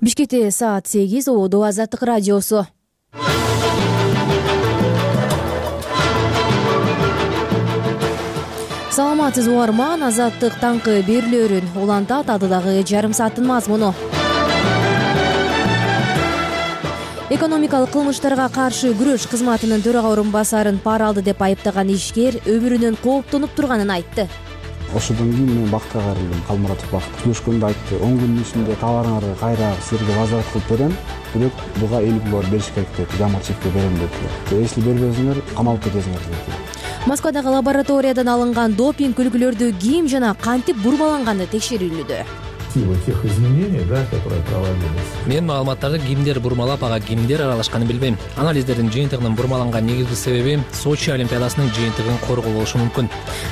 Бишкекте саат 8, Ободо Азаттык радиосу. Саламатсызбы угарман, Азаттык таңкы берүүлөрүн улантат адыдагы жарым сааттын мазмуну. Экономикалык кылмыштарга каршы күрөш кызматынын төрага орун басарын пара алды деп айыптаган ишкер өмүрүнөн кооптонуп турганын айтты. Ошодон кийин мен бакытка кайрылдым. Калмуратов Бакыт күрөшкөндө айтты, 10 күндүн ичинде товарыңарды кайра силерге возврат кылып берем, бирок буга 50 доллар бериш керек деп, жамгырчылыкка берем деп. Если бербесеңер, камалып кетесиңер деп. Москвадагы лабораториядан алынган допинг үлгүлөрдү ким жана кантип бурмаланганы текшерүүлүдө. Тех изменений, которые проводились. Мен маалыматтарды кимдер бурмалап, ага кимдер аралашканын билбейм. Анализдердин жыйынтыгынын бурмаланган негизги себеби Сочи олимпиадасынын жыйынтыгын коргоо болушу мүмкүн.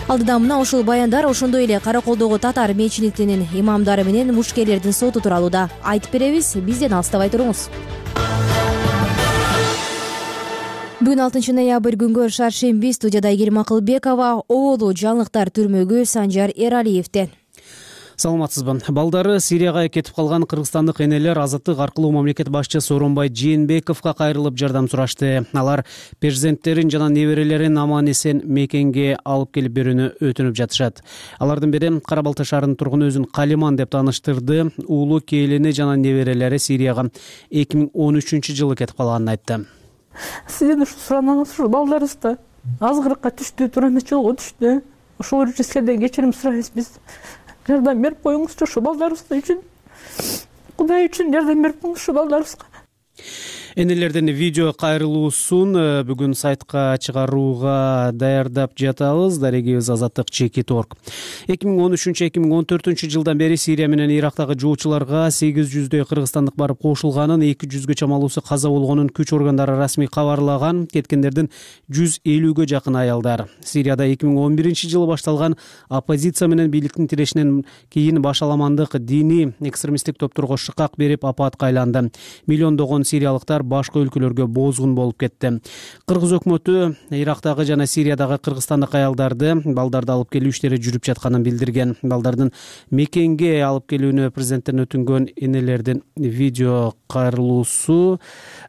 Алдыда мына ушул баяндар ошондой эле Караколдогу татар мечитинин имамдары менен мушкерлердин соту тууралуу да айтып беребиз. Бизден алыстабай туруңуз. Бүгүн 6 ноябрь күнгө шаршемби, студияда Айгерим Акылбекова, оолу жаңылыктар түрмөгү Санжар Эралиевден. Саламатсызбы. Балдары Сирияга кетип калган кыргызстандык энелер азаттык аркылуу мамлекет башчысы Сооронбай Жээнбековго кайрылып жардам сурашты. Алар перзенттерин жана неберелерин аман-эсен мекенге алып келип берүүнү өтүнүп жатышат. Алардын бири Кара Балта шаарынын тургуну өзүн Калиман деп тааныштырды. Уулу келини жана неберелери Сирияга 2013-жылы кетип калганын айтты. Сизден ушу суранаңыз, ушу балдарыбызда азгырыкка түштү, туура эмес жолго түштү. Ошол үчүн сиздерден кечирим сурайбыз биз. Жардам берип коюңузчу ушу балдарыбыз үчүн. Кудай үчүн жардам берип коюңуз ушу балдарыбызга. Энелердин видео кайрылуусун бүгүн сайтка чыгарууга даярдап жатабыз. Дарегибиз Азаттык Чекит.org. 2013-2014 жылдан бери Сирия менен Ирактагы жоочуларга 800дөй кыргызстандык барып кошулганын, 200гө чамалуусу каза болгонун күч органдары расмий кабарлаган. Кеткендердин 150гө жакын аялдар. Сирияда 2011-жылы башталган оппозиция менен бийликтин тирешинен кийин башаламандык диний экстремисттик топторго шыкак берип апатка айланды. Миллиондогон сириялыктар башка өлкөлөргө боозгун болуп кетти. Кыргыз өкмөтү Ирактагы жана Сириядагы кыргызстандык аялдарды, балдарды алып келүү иштери жүрүп жатканын билдирген. Балдардын мекенге алып келүүнү президенттен өтүнгөн энелердин видео кайрылуусу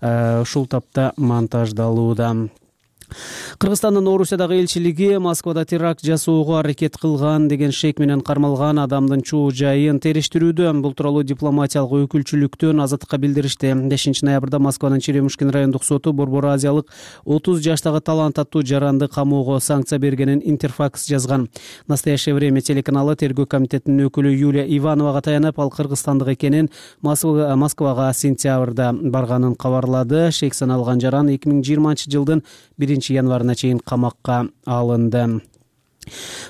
ушул тапта монтаждалууда. Кыргызстандын Орусиядагы элчилиги Москвада теракт жасоого аракет кылган деген шек менен кармалган адамдын чоо жайын териштирүүдө. Бул тууралуу дипломатиялык өкүлчүлүктөн Азаттыкка билдиришти. 5 ноябрда Москванын Черемушкин райондук соту Борбор Азиялык 30 жаштагы талант аттуу жаранды камоого санкция бергенин Интерфакс жазган. Настоящее время телеканалы тергөө комитетинин өкүлү Юлия Ивановага таянып, ал кыргызстандык экенин, Москвага сентябрда барганын кабарлады. Шек саналган жаран 2020-жылдын 1-январына чейин камакка алынды.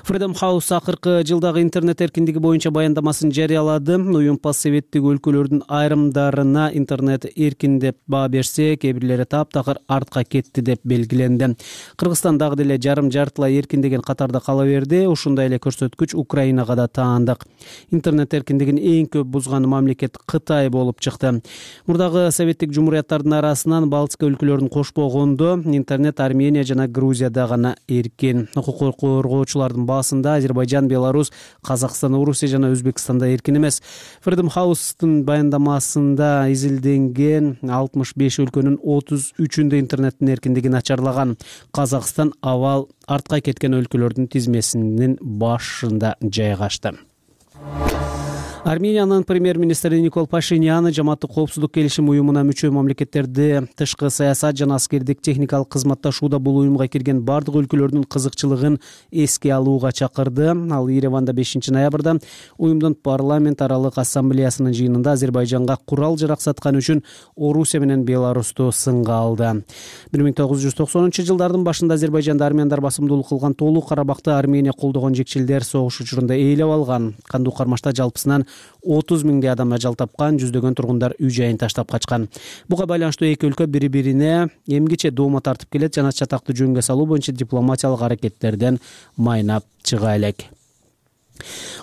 Freedom House акыркы жылдагы интернет эркиндиги боюнча баяндамасын жарыялады. Уюм постсоветтик өлкөлөрдүн айрымдарына интернет эркин деп баа берсе, кээ бирлери таптакыр артка кетти деп белгиленди. Кыргызстан дагы деле жарым-жартылай эркин деген катарда кала берди. Ушундай эле көрсөткүч Украинага да таандык. Интернет эркиндигин эң көп бузган мамлекет Кытай болуп чыкты. Мурдагы советтик жумурияттардын арасынан Балтика өлкөлөрүн кошпогондо интернет Армения жана Грузияда гана эркин. Укук коргоочулардын баасында Азербайжан, Беларусь, Казакстан, Орусия жана Өзбекстанда эркин эмес. Freedom House'тун баяндамасында изилденген 65 өлкөнүн 33-үндө интернеттин эркиндиги начарлаган. Казакстан абал артка кеткен өлкөлөрдүн тизмесинин башында жайгашты. Армениянын премьер-министри Никол Пашинян жамааттык коопсуздук келишим уюмуна мүчө мамлекеттерди тышкы саясат жана аскердик техникалык кызматташууда бул уюмга кирген бардык өлкөлөрдүн кызыкчылыгын эске алууга чакырды. Ал Ереванда 5 ноябрда уюмдун парламент аралык ассамблеясынын жыйынында Азербайжанга курал жарак саткан үчүн Орусия менен Беларусту сынга алды. 1990-жылдардын башында Азербайжанда армяндар басымдуулук кылган Толук Карабакты Армения колдогон жекчилдер согуш учурунда ээлеп алган. Кандуу кармашта жалпысынан 30 миңдей адам ажал тапкан, жүздөгөн тургундар үй жайын таштап качкан. Буга байланыштуу эки өлкө бири-бирине эмгиче доoma тартып келет жана чатакты жөнгө салуу боюнча дипломатиялык аракеттерден майнап чыга элек.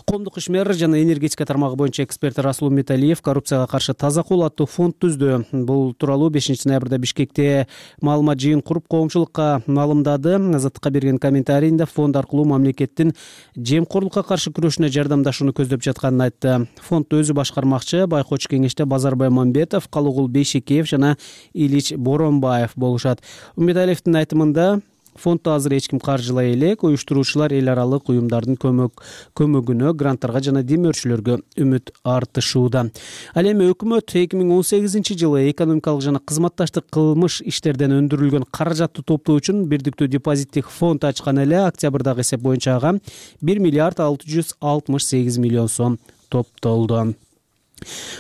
Коомдук ишмер жана энергетика тармагы боюнча эксперт Расул Металиев коррупцияга каршы таза кол аттуу фонд түздү. Бул тууралуу 5 ноябрда Бишкекте маалымат жыйын куруп коомчулукка маалымдады. Азаттыкка берген комментарийинде фонд аркылуу мамлекеттин жемкорлукка каршы күрөшүнө жардамдашууну көздөп жатканын айтты. Фондду өзү башкармакчы байкоочу кеңеште Базарбай Мамбетов, Калыгул Бейшекеев жана Илич Боронбаев болушат. Металиевдин айтымында фондду азыр эч ким каржылай элек, уюштуруучулар эл аралык уюмдардын көмөгүнө, гранттарга жана демөөрчүлөргө үмүт артышууда. Ал эми өкмөт 2018-жылы экономикалык жана кызматташтык кылмыш иштерден өндүрүлгөн каражатты топтоо үчүн бирдиктүү депозиттик фонд ачкан эле. Октябрдагы эсеп боюнча ага 1 миллиард 668 миллион сом топтолду.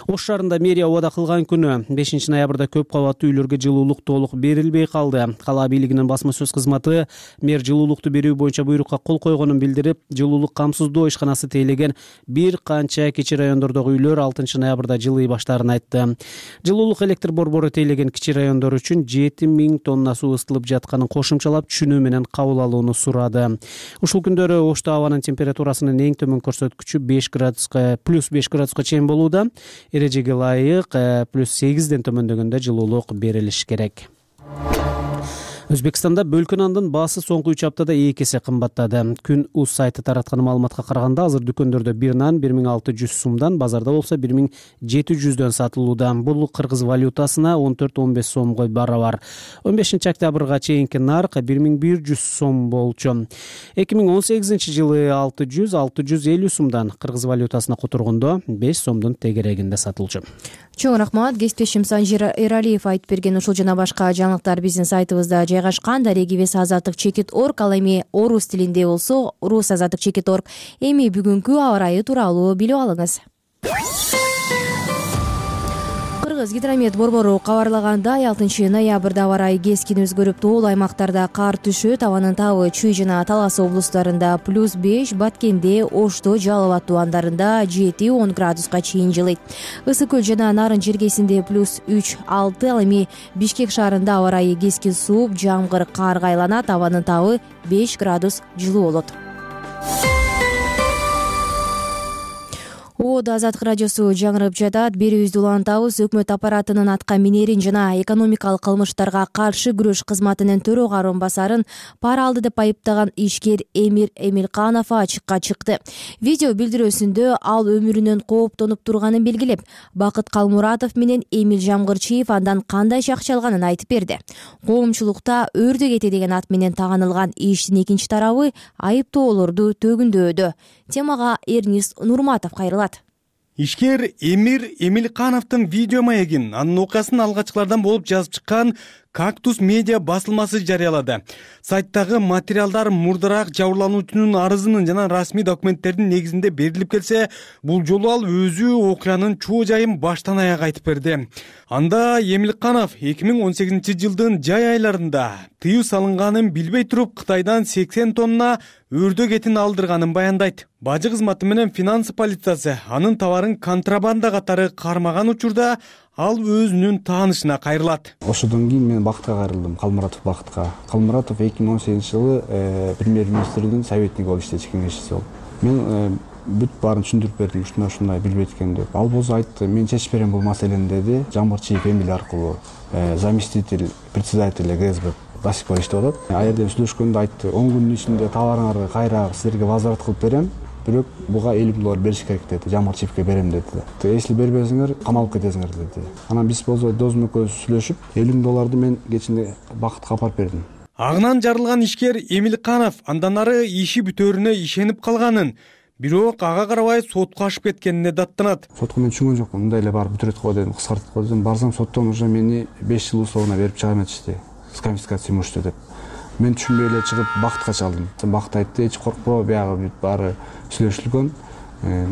Ош шаарында мэрия убада кылган күнү 5 ноябрда көп кабаттуу үйлөргө жылуулук толук берилбей калды. Кала бийлигинин басма сөз кызматы мэр жылуулукту берүү боюнча буйрукка кол койгонун билдирип, жылуулук камсыздоо ишканасы тейлеген бир канча кичи райондордогу үйлөр 6 ноябрда жылый баштаарын айтты. Жылуулук электр борбору тейлеген кичи райондор үчүн 7000 тонна суу ысытылып жатканын кошумчалап, түшүнүү менен кабыл алууну сурады. Ушул күндөрү Ошто абанын температурасынын эң төмөн көрсөткүчү плюс 5 градуска чейин болууда. Эрежеге ылайык плюс 8ден төмөндөгөндө жылуулук берилиш керек. Өзбекстанда бөлкө нандын баасы соңку 3 аптада 2 эсе кымбаттады. Күн УЗ сайты тараткан маалыматка караганда, азыр дүкөндөрдө бир нан 1600 сомдон, базарда болсо 1700дөн сатылууда. Бул кыргыз валютасына 14-15 сомго барабар. 15-октябрга чейинки нарк 1100 сом болчу. 2018-жылы 600-650 сомдон, кыргыз валютасына которгондо 5 сомдун тегерегинде сатылчу. Чоң рахмат. Кесиптешим Санжир Эралиев айтып берген ушул жана башка жаңылыктар биздин сайтыбызда жайгашкан. Дарегибиз азаттык чекит.орг, ал эми орус тилинде болсо рус азаттык чекит.орg. Эми бүгүнкү аба ырайы тууралуу билип алыңыз. Кыргыз гидромет борбору кабарлагандай, 6 ноябрда аба ырайы кескин өзгөрүп, тоолуу аймактарда кар түшөт. Абанын табы Чүй жана Талас облустарында плюс 5, Баткенде, Ошто, Жалал Ат тубандарында 7-10 градуска чейин жылыйт. Ысык көл жана Нарын жергесинде плюс 3-6, ал эми Бишкек шаарында аба ырайы кескин сууп, жамгыр, карга айланат. Абанын табы 5 градус жылуу болот. Азаттык радиосу жаңырып жатат. Берүүбүздү улантабыз. Өкмөт аппаратынын атка минерин жана экономикалык кылмыштарга каршы күрөш кызматынын төрага орун басарын пара алды деп айыптаган ишкер Эмир Эмилканов ачыкка чыкты. Видео билдирүүсүндө ал өмүрүнөн кооптонуп турганын белгилеп, Бакыт Калмуратов менен Эмил Жамгырчиев андан кандай акча алганын айтып берди. Коомчулукта өрдө кете деген ат менен таанылган иштин экинчи тарабы айыптоолорду төгүндөдү. Темага Эрнист Нурматов кайрылат. Ишкер Эмир Эмилкановдун видео маегин, анын окуясын алгачкылардан болуп жазып чыккан Кактус медиа басылмасы жарыялады. Сайттагы материалдар мурдараак жабырлануучунун арызынын жана расмий документтердин негизинде берилип келсе, бул жолу ал өзү окуянын чоо жайын баштан аяк айтып берди. Анда Эмилканов 2018-жылдын жай айларында тыюу салынганын билбей туруп Кытайдан 80 тонна өрдө этин алдырганын баяндайт. Бажы кызматы менен финансы полициясы анын товарын контрабанда катары кармаган учурда ал өзүнүн таанышына кайрылат. Ошодон кийин мен Бакытка кайрылдым, Калмуратов Бакытка. Калмуратов 2018-жылы премьер-министрдин советниги болуп иштечү, кеңешчиси болуп. Мен бүт баарын түшүндүрүп бердим, ушундай билбейт экен деп. Ал болсо айтты, мен чечип берем бул маселени деди. Жамгырчиев Эмил аркылуу заместитель председателя ГСБ Басипов иштеп атат. А жерде сүйлөшкөндө айтты, 10 күндүн ичинде товарыңарды кайра силерге возврат кылып берем. Бирок буга $50 бериш керек деди. Жамгырчиевке берем деди. Если бербесиңер, камалып кетесиңер деди. Анан биз болсо досум экөөбүз сүйлөшүп, $50 мен кечинде Бакытка апарып бердим. Агынан жарылган ишкер Эмилканов андан ары иши бүтөөрүнө ишенип калганын, бирок ага карабай сотко ашып кеткенине даттанат. Сотко мен түшүнгөн жокмун. Мындай эле барып бүтүрөт го дедим, кыскартып го дедим. Барсам соттон уже мени 5 жыл условно берип чыга эметишти. С конфискацией имущества деп. Мен түшүнбөй эле чыгып Бакытка чалдым. Бакыт айтты, эч коркпо, биягы бүт баары сүйлөшүлгөн,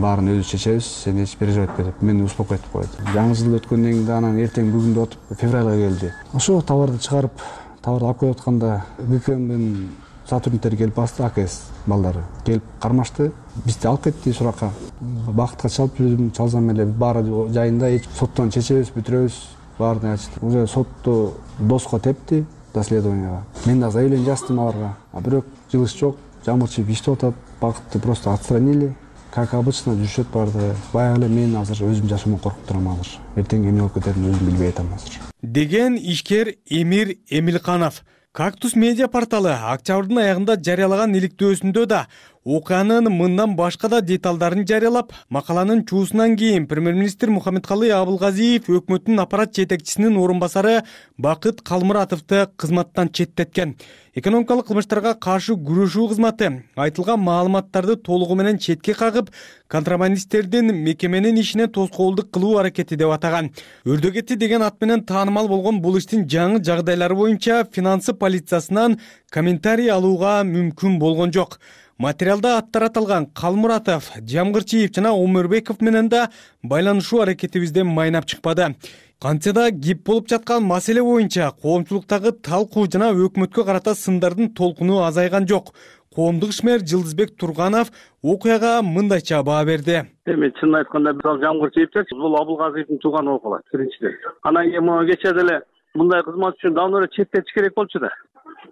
баарын өзү чечебиз, сен эч переживать этпе деп мени успокойтуп койду. Жаңы жыл өткөндөн кийин анан эртең бүгүндө отуп февралга келди. Ошо товарды чыгарып, товарды алып келип атканда ГКМдин сотрудниктери келип басты, АКС балдары келип кармашты. Бизди алып кетти суракка. Бакытка чалып жүрдүм, чалсам эле баары жайында, эч соттон чечебиз, бүтүрөбүз, баарын ачты. Уже сотту доско тепти. Доследованияга. Мен заявление жаздым аларга. А бирок жылыш жок. Жамгырчиев иштеп атат. Бакытты просто отстранили. как обычно жүрүшөт баардыгы. Баягы эле мен азыр өзүм жашоомон коркуп турам азыр. Эртең эмне болуп кетерин өзүм билбей атам азыр. Деген ишкер Эмир Эмилканов. Кактус медиа порталы октябрдын аягында жарыялаган иликтөөсүндө да окуянын мындан башка да деталдарын жарыялап, макаланын чуусунан кийин премьер-министр Мухаммедкалый Абылгазиев өкмөттүн аппарат жетекчисинин орун басары Бакыт Калмуратовду кызматтан четтеткен. Экономикалык кылмыштарга каршы күрөшүү кызматы айтылган маалыматтарды толугу менен четке кагып, контрабандисттердин мекеменин ишине тоскоолдук кылуу аракети деп атаган. Өрдөгети деген ат менен таанымал болгон бул иштин жаңы жагдайлары боюнча финансы полициясынан комментарий алууга мүмкүн болгон жок. Материалда аттар аталган Калмуратов, Жамгырчиев жана Омурбеков менен да байланышуу аракетибизден майнап чыкпады. Кантсе да кеп болуп жаткан маселе боюнча коомчулуктагы талкуу жана өкмөткө карата сындардын толкуну азайган жок. Коомдук ишмер Жылдызбек Турганов окуяга мындайча баа берди. Эми чынын айтканда мисалы Жамгырчиевчи бул Абылгазиевдин тууганы болуп калат биринчиден. Анан кийин могу кечээ деле мындай кызмат үчүн давно эле четтетиш керек болчу да.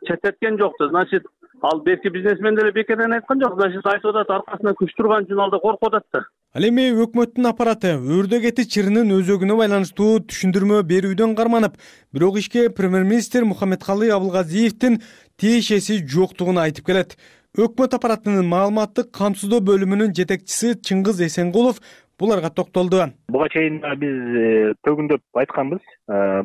Четтеткен жокту. Значит, ал берки бизнесмен деле бекерден айткан жок. Значит, айтып атат аркасына күч турган үчүн ал да коркуп атат да. Ал эми өкмөттүн аппараты өрдөгети чырынын өзөгүнө байланыштуу түшүндүрмө берүүдөн карманып, бирок ишке премьер-министр Мухаммедкалый Абылгазиевдин тиешеси жоктугун айтып келет. Өкмөт аппаратынын маалыматтык камсыздоо бөлүмүнүн жетекчиси Чыңгыз Эсенгулов буларга токтолду. Буга чейин биз төгүндөп айтканбыз.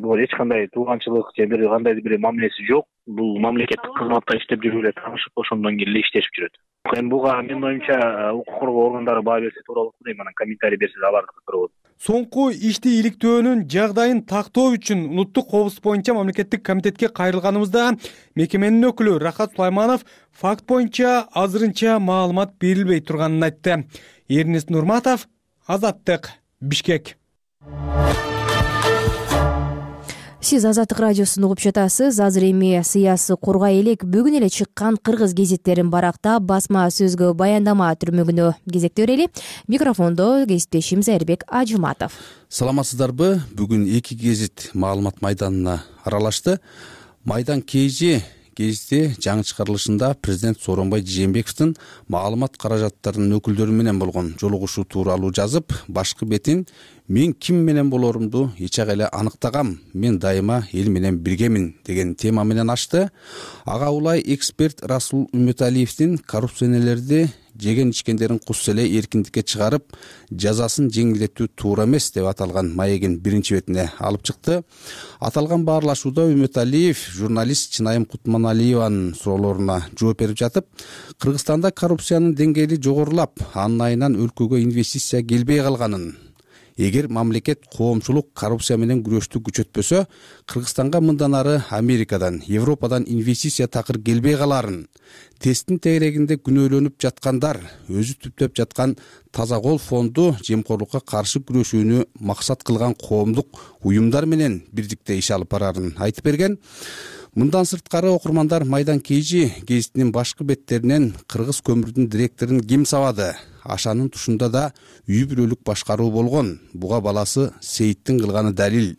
Бул эч кандай тууганчылык же бир кандайдыр бир мамилеси жок. Бул мамлекеттик кызматта иштеп жүрүп эле таанышып ошондон кийин эле иштешип жүрөт. Эми буга менин оюмча укук коргоо органдары баа берсе туура болот дейм, анан комментарий берсе алардыкы туура болот. Соңку ишти иликтөөнүн жагдайын тактоо үчүн улуттук коопсуздук боюнча мамлекеттик комитетке кайрылганыбызда мекеменин өкүлү Рахат Сулайманов факт боюнча азырынча маалымат берилбей турганын айтты. Эрнест Нурматов, Азаттык, Бишкек. Сиз Азаттык радиосун угуп жатасыз. Азыр эми сыясы кургай элек бүгүн эле чыккан кыргыз гезиттерин барактап басма сөзгө баяндама түрмөгүнө кезекте берели. Микрофондо кесиптешим Зайырбек Ажыматов. Саламатсыздарбы? Бүгүн эки гезит маалымат майданына аралашты. Майдан КЖ гезити жаңы чыгарылышында президент Сооронбай Жээнбековдун маалымат каражаттарынын өкүлдөрү менен болгон жолугушуу тууралуу жазып, башкы бетин мен ким менен болорумду эч эле аныктагам, мен дайыма эл менен биргемин деген тема менен ачты. Ага улай эксперт Расул Үмөталиевдин коррупционерлерди жеген ичкендерин кус эле эркиндикке чыгарып, жазасын жеңилдетүү туура эмес деп аталган маегин биринчи бетине алып чыкты. Аталган баарлашууда Үмөталиев журналист Чынайым Кутманалиеванын суроолоруна жооп берип жатып, Кыргызстанда коррупциянын деңгээли жогорулап, анын айынан өлкөгө инвестиция келбей калганын, эгер мамлекет коомчулук коррупция менен күрөштү күчөтпөсө, Кыргызстанга мындан ары Америкадан, Европадан инвестиция такыр келбей каларын, тесттин тегерегинде күнөөлөнүп жаткандар өзү түптөп жаткан Таза кол фонду жемкорлукка каршы күрөшүүнү максат кылган коомдук уюмдар менен бирдикте иш алып барарын айтып берген. Мындан сырткары окурмандар Майдан КЖ гезитинин башкы беттеринен Кыргыз көмүрдүн директорун ким сабады? Ашанын тушунда да үй бүлөлүк башкаруу болгон. Буга баласы Сейиттин кылганы далил.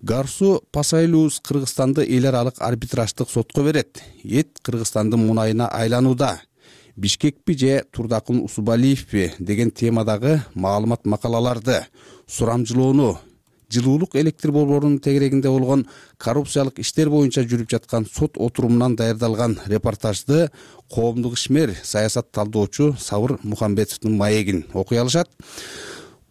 Гарсу Пасайлуус Кыргызстанды эл аралык арбитраждык сотко берет. Эт Кыргызстандын мунайына айланууда. Бишкекпи же Турдакун Усубалиевпи деген темадагы маалымат макалаларды, сурамжылоону, жылуулук электр борборунун тегерегинде болгон коррупциялык иштер боюнча жүрүп жаткан сот отурумунан даярдалган репортажды коомдук ишмер, саясат талдоочу Сабыр Мухамбетовдун маегин окуй алышат.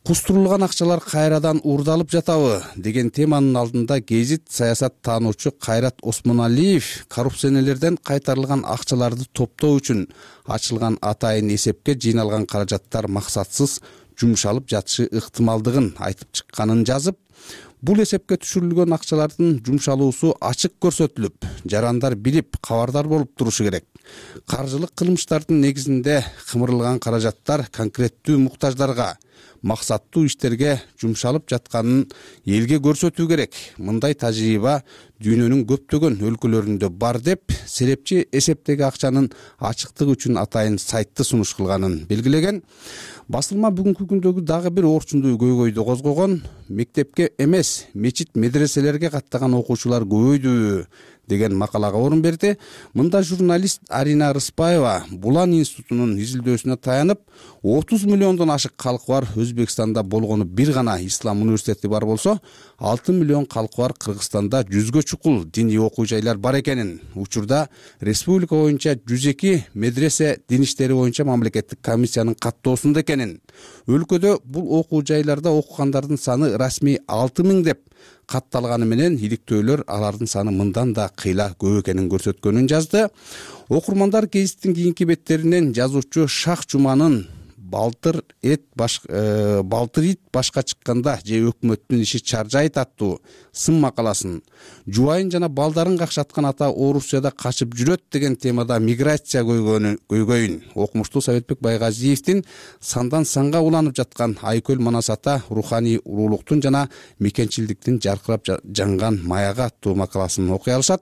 Кустурулган акчалар кайрадан уурдалып жатабы деген теманын алдында гезит саясат таануучу Кайрат Осмоналиев коррупционерлерден кайтарылган акчаларды топтоо үчүн ачылган атайын эсепке жыйналган каражаттар максатсыз жумшалып жатышы ыктымалдыгын айтып чыкканын жазып, бул эсепке түшүрүлгөн акчалардын жумшалуусу ачык көрсөтүлүп, жарандар билип, кабардар болуп турушу керек. Каржылык кылмыштардын негизинде кымырылган каражаттар конкреттүү муктаждарга, максаттуу иштерге жумшалып жатканын элге көрсөтүү керек. Мындай тажрыйба дүйнөнүн көптөгөн өлкөлөрүндө бар деп серепчи эсептеги акчанын ачыктыгы үчүн атайын сайтты сунуш кылганын белгилеген. Басылма бүгүнкү күндөгү дагы бир орчундуу көйгөйдү козгогон. Мектепке эмес, мечит медреселерге каттаган окуучулар көбөйдү деген макалага орун берди. Мында журналист Арина Рыспаева Булан институтунун изилдөөсүнө таянып, 30 миллиондон ашык калкы бар Өзбекстанда болгону бир гана ислам университети бар болсо, 6 миллион калкы бар Кыргызстанда 100гө чукул диний окуу жайлар бар экенин, учурда республика боюнча 102 медресе дин иштери боюнча мамлекеттик комиссиянын каттоосунда экенин, өлкөдө бул окуу жайларда окугандардын саны расмий 6000 деп катталганы менен иликтөөлөр алардын саны мындан да кыйла көп экенин көрсөткөнүн жазды. Окурмандар гезиттин кийинки беттеринен жазуучу Шах Жуманын балтыр ит башка чыкканда же өкмөттүн иши чаржайт аттуу сын макаласын, жубайын жана балдарын какшаткан ата Орусияда качып жүрөт деген темада миграция көйгөйүн, окумуштуу Советбек Байгазиевдин сандан санга уланып жаткан Айкөл Манас ата руханий улуулуктун жана мекенчилдиктин жаркырап жанган маягы аттуу макаласын окуй алышат.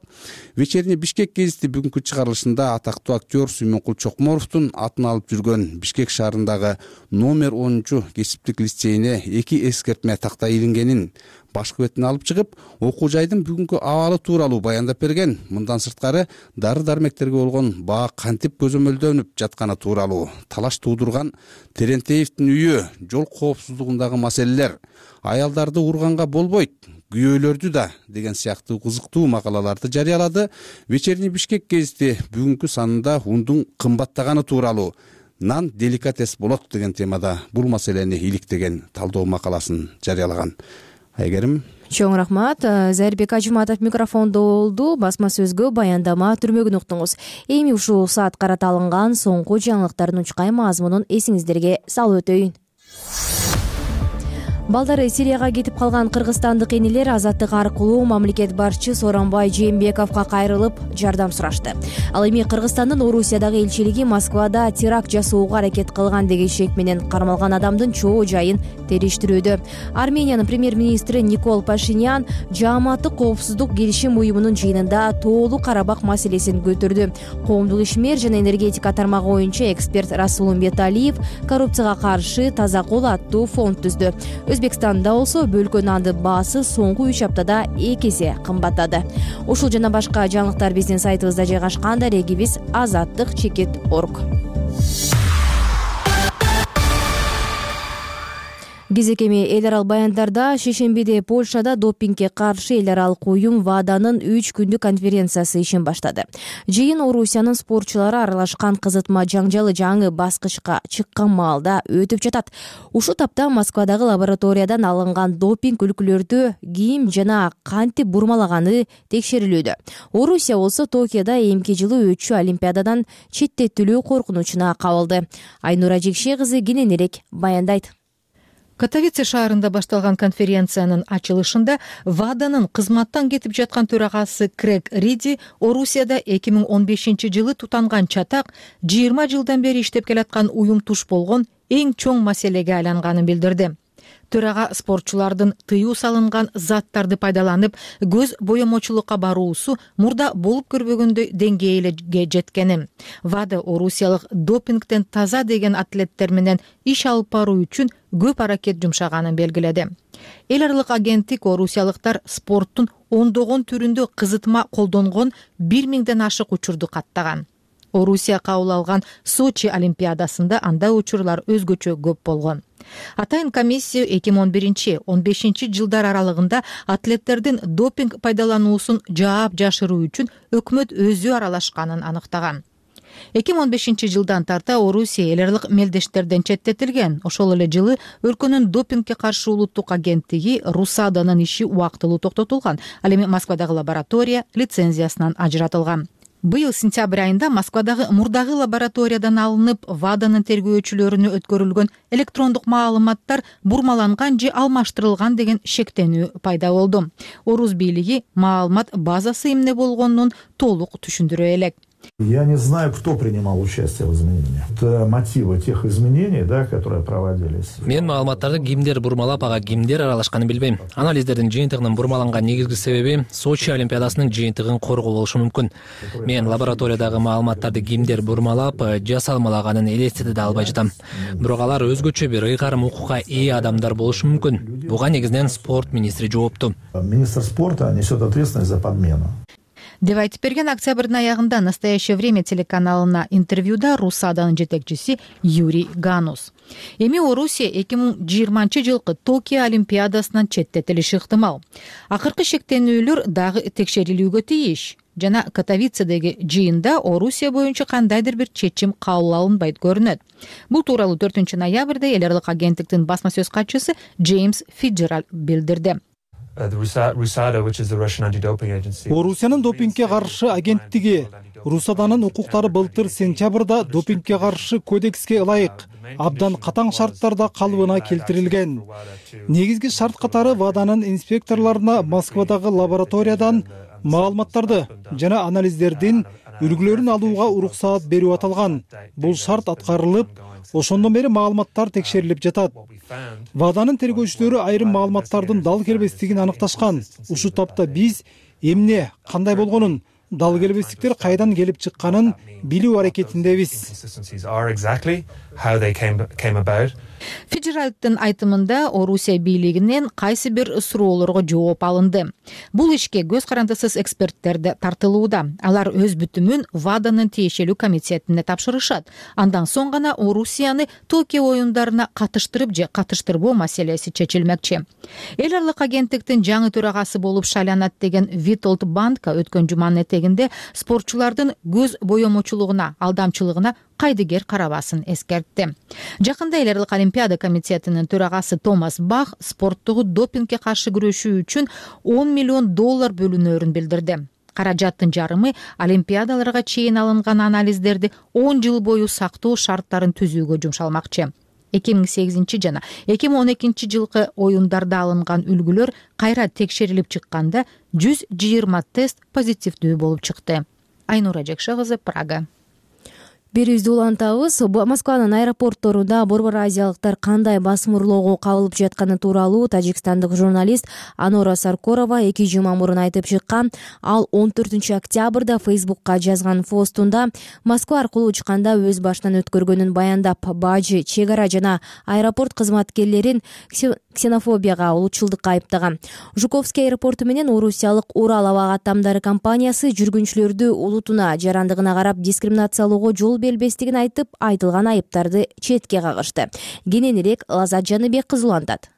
Вечерний Бишкек гезити бүгүнкү чыгарылышында атактуу актер Сүймөнкул Чокморовдун атын алып жүргөн Бишкек шаарындагы номер 10 кесиптик лицейине 2 эскертме такта илингенин башкы бетине алып чыгып, окуу жайдын бүгүнкү абалы тууралуу баяндап берген. Мындан сырткары дары-дармектерге болгон баа кантип көзөмөлдөнүп жатканы тууралуу, талаш туудурган Терентеевдин үйү, жол коопсуздугундагы маселелер, аялдарды урганга болбойт, күйөөлөрдү да деген сыяктуу кызыктуу макалаларды жарыялады. Вечерний Бишкек гезити бүгүнкү санында ундун кымбаттаганы тууралуу, нан деликатес болот деген темада бул маселени иликтеген талдоо макаласын жарыялаган. Айгерим, чоң рахмат. Зайырбек Ажыматов микрофондо болду. Басма сөзгө баяндама түрмөгүн уктуңуз. Эми ушул саат карата алынган соңку жаңылыктардын учкай мазмунун эсиңиздерге салып өтөйүн. Балдары Сирияга кетип калган кыргызстандык энелер азаттык аркылуу мамлекет башчы Сооронбай Жээнбековго кайрылып жардам сурашты. Ал эми Кыргызстандын Орусиядагы элчилиги Москвада теракт жасоого аракет кылган деген шек менен кармалган адамдын чоо жайын териштирүүдө. Армениянын премьер-министри Никол Пашинян Жааматтык коопсуздук келишим уюмунун жыйынында Тоолуу Карабак маселесин көтөрдү. Коомдук ишмер жана энергетика тармагы боюнча эксперт Расулумбет Алиев коррупцияга каршы таза кол аттуу фонд түздү. Өзбекстанда болсо бөлкө нанды баасы соңку 3 аптада 2 эсе кымбаттады. Ушул жана башка жаңылыктар биздин сайтыбызда жайгашкан. Дарегибиз azаттык.org. Кезекеме эл аралык баяндарда шейшембиде Польшада допингге каршы эл аралык уюм ВАДАнын 3 күндүк конференциясы ишин баштады. Жыйын Орусиянын спортчулары аралашкан кызытма жаңжалы жаңы баскычка чыккан маалда өтүп жатат. Ушул тапта Москвадагы лабораториядан алынган допинг үлгүлөрдү ким жана кантип бурмалаганы текшерилүүдө. Орусия болсо Токиодо эмки жылы өтчү Олимпиададан четтетилүү коркунучуна кабылды. Айнура Жекше кызы кененирээк баяндайт. Катовице шаарында башталган конференциянын ачылышында ВАДАнын кызматтан кетип жаткан төрагасы Крэг Риди Орусияда 2015 жылы тутанган чатак 20 жылдан бери иштеп келаткан уюм туш болгон эң чоң маселеге айланганын билдирди. Төрага спортчулардын тыюу салынган заттарды пайдаланып көз боемочулукка баруусу мурда болуп көрбөгөндөй деңгээлге жеткени, ВАДА орусиялык допингден таза деген атлеттер менен иш алып баруу үчүн көп аракет жумшаганын белгиледи. Эл аралык агенттик орусиялыктар спорттун ондогон түрүндө кызытма колдонгон 1000ден ашык учурду каттаган. Орусия кабыл алган Сочи олимпиадасында анда учурлар өзгөчө көп болгон. Атайын комиссия 2011-15 жылдар аралыгында атлеттердин допинг пайдалануусун жаап жашыруу үчүн өкмөт өзү аралашканын аныктаган. 2015 жылдан тарта Орусия эл аралык мелдештерден четтетилген. Ошол эле жылы өлкөнүн допингге каршы улуттук агенттиги РУСАДАнын иши убактылуу токтотулган. Ал эми Москвадагы лаборатория лицензиясынан ажыратылган. Быйыл сентябрь айында Москвадагы мурдагы лабораториядан алынып ВАДАнын тергөөчүлөрүнө өткөрүлгөн электрондук маалыматтар бурмаланган же алмаштырылган деген шектенүү пайда болду. Орус бийлиги маалымат базасы эмне болгонун толук түшүндүрө элек. Я не знаю, кто принимал участие в изменениях. Это мотивы тех изменений, которые проводились. Мен маалыматтарды кимдер бурмалап, ага кимдер аралашканын билбейм. Анализдердин жыйынтыгынын бурмаланган негизги себеби Сочи олимпиадасынын жыйынтыгын коргоо болушу мүмкүн. Мен лабораториядагы маалыматтарды кимдер бурмалап, жасалмалаганын элестете да албай жатам. Бирок алар өзгөчө бир ыйгарым укукка ээ адамдар болушу мүмкүн. Буга негизинен спорт министри жоопту. Министр спорта несет ответственность за подмену. деп айтып берген октябрдын аягында «Настоящее время» телеканалына интервьюда РусАДАнын жетекчиси Юрий Ганус. Эми Орусия 2020-жылкы Токио олимпиадасынан четтетилиши ыктымал. Акыркы шектенүүлөр дагы текшерилүүгө тийиш. Жана Катовицедеги жыйында Орусия боюнча кандайдыр бир чечим кабыл алынбайт көрүнөт. Бул тууралуу 4-ноябрда эл аралык агенттиктин басма сөз катчысы Джеймс Фиджеральд билдирди. Орусиянын допингге каршы агенттиги РусАДАнын укуктары былтыр сентябрда допингге каршы кодекске ылайык абдан катаң шарттарда калыбына келтирилген. Негизги шарт катары ВАДАнын инспекторлоруна Москвадагы лабораториядан маалыматтарды жана анализдердин үлгүлөрүн алууга уруксаат берүү аталган. Бул шарт аткарылып, ошондон бери маалыматтар текшерилип жатат. ВАДАнын тергөөчүлөрү айрым маалыматтардын дал келбестигин аныкташкан. Ушул тапта биз эмне, кандай болгонун, дал келбестиктер кайдан келип чыкканын билүү аракетиндебиз. Фиджеральдтын айтымында Орусия бийлигинен кайсы бир суроолорго жооп алынды. Бул ишке көз карандысыз эксперттер да тартылууда. Алар өз бүтүмүн ВАДАнын тиешелүү комитетине тапшырышат. Андан соң гана Орусияны Токио оюндарына катыштырып же катыштырбоо маселеси чечилмекчи. Эл аралык агенттиктин жаңы төрагасы болуп шайланат деген Витолд Банка өткөн жуманын этегинде спортчулардын көз боемочулугуна, алдамчылыгына кайдыгер карабасын эскертти. Жакында эл аралык олимпиада комитетинин төрагасы Томас Бах спорттогу допингге каршы күрөшүү үчүн $10 миллион бөлүнөөрүн билдирди. Каражаттын жарымы олимпиадаларга чейин алынган анализдерди 10 жыл бою сактоо шарттарын түзүүгө жумшалмакчы. 2008 жана 2012 жылкы оюндарда алынган үлгүлөр кайра текшерилип чыкканда 120 тест позитивдүү болуп чыкты. Айнура Жекше кызы, Прага. Берүүбүздү улантабыз. Москванын аэропортторунда борбор азиялыктар кандай басым урлоого кабылып жатканы тууралуу тажикстандык журналист Анора Саркорова 2 жума мурун айтып чыккан. Ал 14 октябрда Фейсбукка жазган постунда Москва аркылуу учканда өз башынан өткөргөнүн баяндап, бажы, чек ара жана аэропорт кызматкерлерин ксенофобияга, улутчулдукка айыптаган. Жуковский аэропорту менен орусиялык Урал аба каттамдары компаниясы жүргүнчүлөрдү улутуна, жарандыгына карап дискриминациялоого жол бербестигин айтып, айтылган айыптарды четке кагышты. Кененирээк Лазат Жаныбек кызы улантат.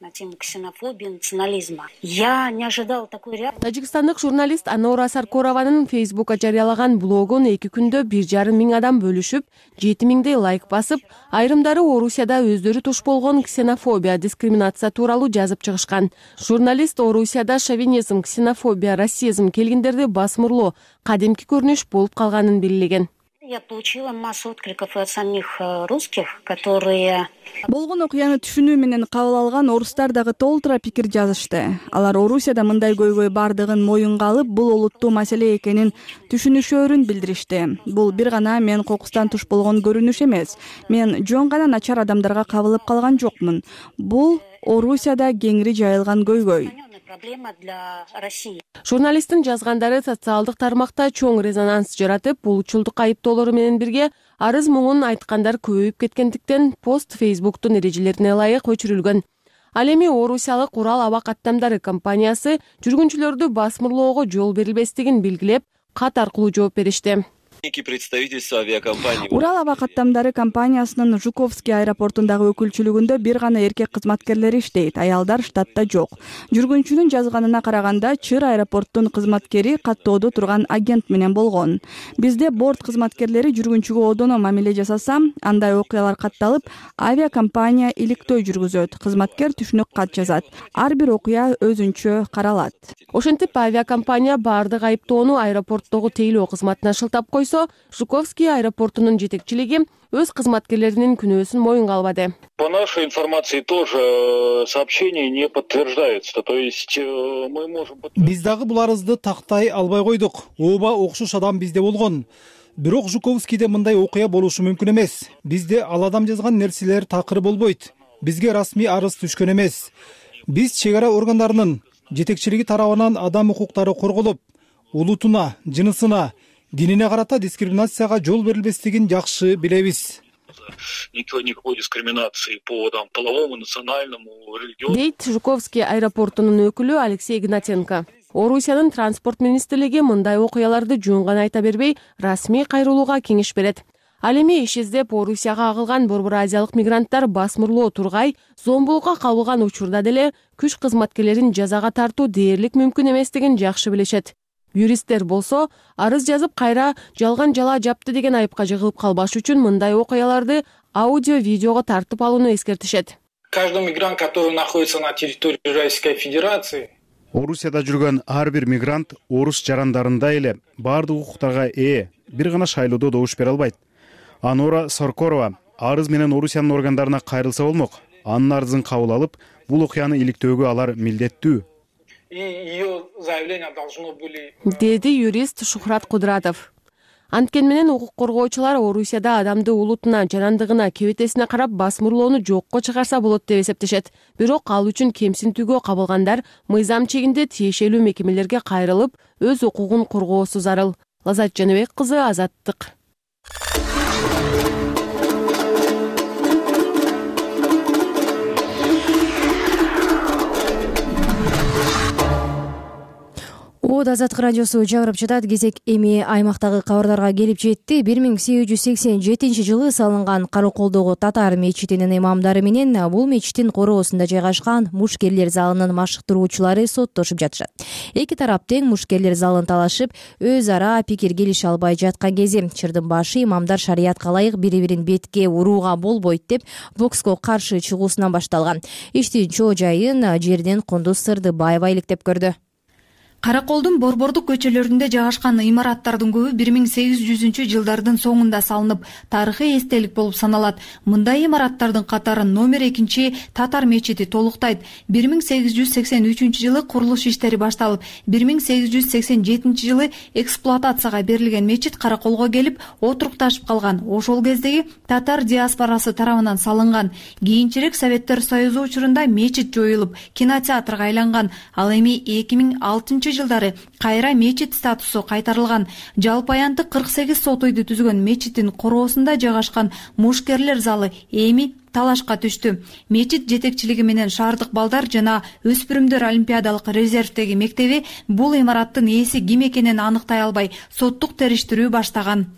На тему ксенофобии, национализма. Я не ожидал такой реакции. Тажикстандык журналист Анора Саркорованын Фейсбукка жарыялаган блогун 2 күндө 1,5 миң адам бөлүшүп, 7 миңдей лайк басып, айрымдары Орусияда өздөрү туш болгон ксенофобия, дискриминация тууралуу жазып чыгышкан. Журналист Орусияда шовинизм, ксенофобия, расизм келгендерди басмырлоо кадимки көрүнүш болуп калганын белгилеген. Я получила массу откликов от самих русских, которые... Болгон окуяны түшүнүү менен кабыл алган орустар дагы толтура пикир жазышты. Алар Орусияда мындай көйгөй бардыгын моюнга алып, бул олуттуу маселе экенин түшүнүшөөрүн билдиришти. Бул бир гана мен кокустан туш болгон көрүнүш эмес. Мен жөн гана начар адамдарга кабылып калган жокмун. Бул Орусияда кеңири жайылган көйгөй. Проблема для России. Журналисттин жазгандары социалдык тармакта чоң резонанс жаратып, улутчулдук айыптоолору менен бирге арыз муңун айткандар көбөйүп кеткендиктен пост Фейсбуктун эрежелерине ылайык өчүрүлгөн. Ал эми орусиялык Урал аба каттамдары компаниясы жүргүнчүлөрдү басмырлоого жол берилбестигин белгилеп, кат аркылуу жооп беришти. Урал аба каттамдары компаниясынын Жуковский аэропортундагы өкүлчүлүгүндө бир гана эркек кызматкерлер иштейт, аялдар штатта жок. Жүргүнчүнүн жазганына караганда, Чыр аэропорттун кызматкери каттоодо турган агент менен болгон. Бизде борт кызматкерлери жүргүнчүгө одоно мамиле жасаса, андай окуялар катталып, авиакомпания иликтөө жүргүзөт, кызматкер түшүнүк кат жазат. Ар бир окуя өзүнчө каралат. Ошентип авиакомпания баардык айыптоону аэропорттогу тейлөө кызматына шылтап койсо, койсо, Жуковский аэропортунун жетекчилиги өз кызматкерлеринин күнөөсүн моюнга албады. По нашей информации тоже сообщения не подтверждаются. То есть мы можем... Биз дагы бул арызды тактай албай койдук. Ооба окшош адам бизде болгон. Бирок Жуковскийде мындай окуя болушу мүмкүн эмес. Бизде ал адам жазган нерселер такыр болбойт. Бизге расмий арыз түшкөн эмес. Биз чек ара органдарынын жетекчилиги тарабынан адам укуктары корголуп, улутуна, жынысына, динине карата дискриминацияга жол берилбестигин жакшы билебиз. Никакой дискриминации по половому, национальному, религиозному. Дейт Жуковский аэропортунун өкүлү Алексей Игнатенко. Орусиянын транспорт министрлиги мындай окуяларды жөн гана айта бербей, расмий кайрылууга кеңеш берет. Ал эми иш издеп Орусияга агылган Борбор Азиялык мигранттар басмырлоо тургай, зомбулукка кабылган учурда деле күч кызматкерлерин жазага тартуу дээрлик мүмкүн эместигин жакшы билишет. Юристтер болсо, арыз жазып кайра жалган жала жапты деген айыпка жыгылып калбаш үчүн мындай окуяларды аудио-видеого тартып алууну эскертишет. Каждый мигрант, который находится на территории Российской Федерации, Орусияда жүргөн ар бир мигрант орус жарандарындай эле баардык укуктарга ээ, бир гана шайлоодо добуш бере албайт. Анора Саркорова арыз менен Орусиянын органдарына кайрылса болмок. Анын арызын кабыл алып, бул окуяны иликтөөгө алар милдеттүү. и ее заявления должно были... Деди юрист Шухрат Кудратов. Анткен менен укук коргоочулар Орусияда адамды улутуна, жанандыгына, кебетесине карап басмырлоону жокко чыгарса болот деп эсептешет. Бирок ал үчүн кемсинтүүгө кабылгандар мыйзам чегинде тиешелүү мекемелерге кайрылып, өз укугун коргоосу зарыл. Лазат Жаныбек кызы, Азаттык. Азаттык радиосу жаңырып жатат. Кезек эми аймактагы кабарларга келип жетти. 1887 жылы салынган Караколдогу татар мечитинин имамдары менен бул мечиттин короосунда жайгашкан мушкерлер залынын машыктыруучулары соттошуп жатышат. Эки тарап тең мушкерлер залын талашып, өз ара пикир келише албай жаткан кези чырдын башы имамдар шариятка ылайык бири-бирин бетке урууга болбойт деп бокско каршы чыгуусунан башталган. Иштин чоо жайын жерден Кундуз Сырдыбаева иликтеп көрдү. Караколдун борбордук көчөлөрүндө жайгашкан имараттардын көбү 1800-жылдардын соңунда салынып, тарыхый эстелик болуп саналат. Мындай имараттардын катарын номер 2 татар мечити толуктайт. 1883-жылы курулуш иштери башталып, 1887 жылы эксплуатацияга берилген мечит Караколго келип отурукташып калган. Ошол кездеги татар диаспорасы тарабынан салынган. Кийинчерээк Советтер Союзу учурунда мечит жоюлуп, кинотеатрга айланган. Ал эми 2006 жылдары кайра мечит статусу кайтарылган. Жалпы аянты 48 сот үйдү түзгөн мечиттин короосунда жайгашкан мушкерлер залы эми талашка түштү. Мечит жетекчилиги менен шаардык балдар жана өспүрүмдөр олимпиадалык резервдеги мектеби бул имараттын ээси ким экенин аныктай албай соттук териштирүү баштаган.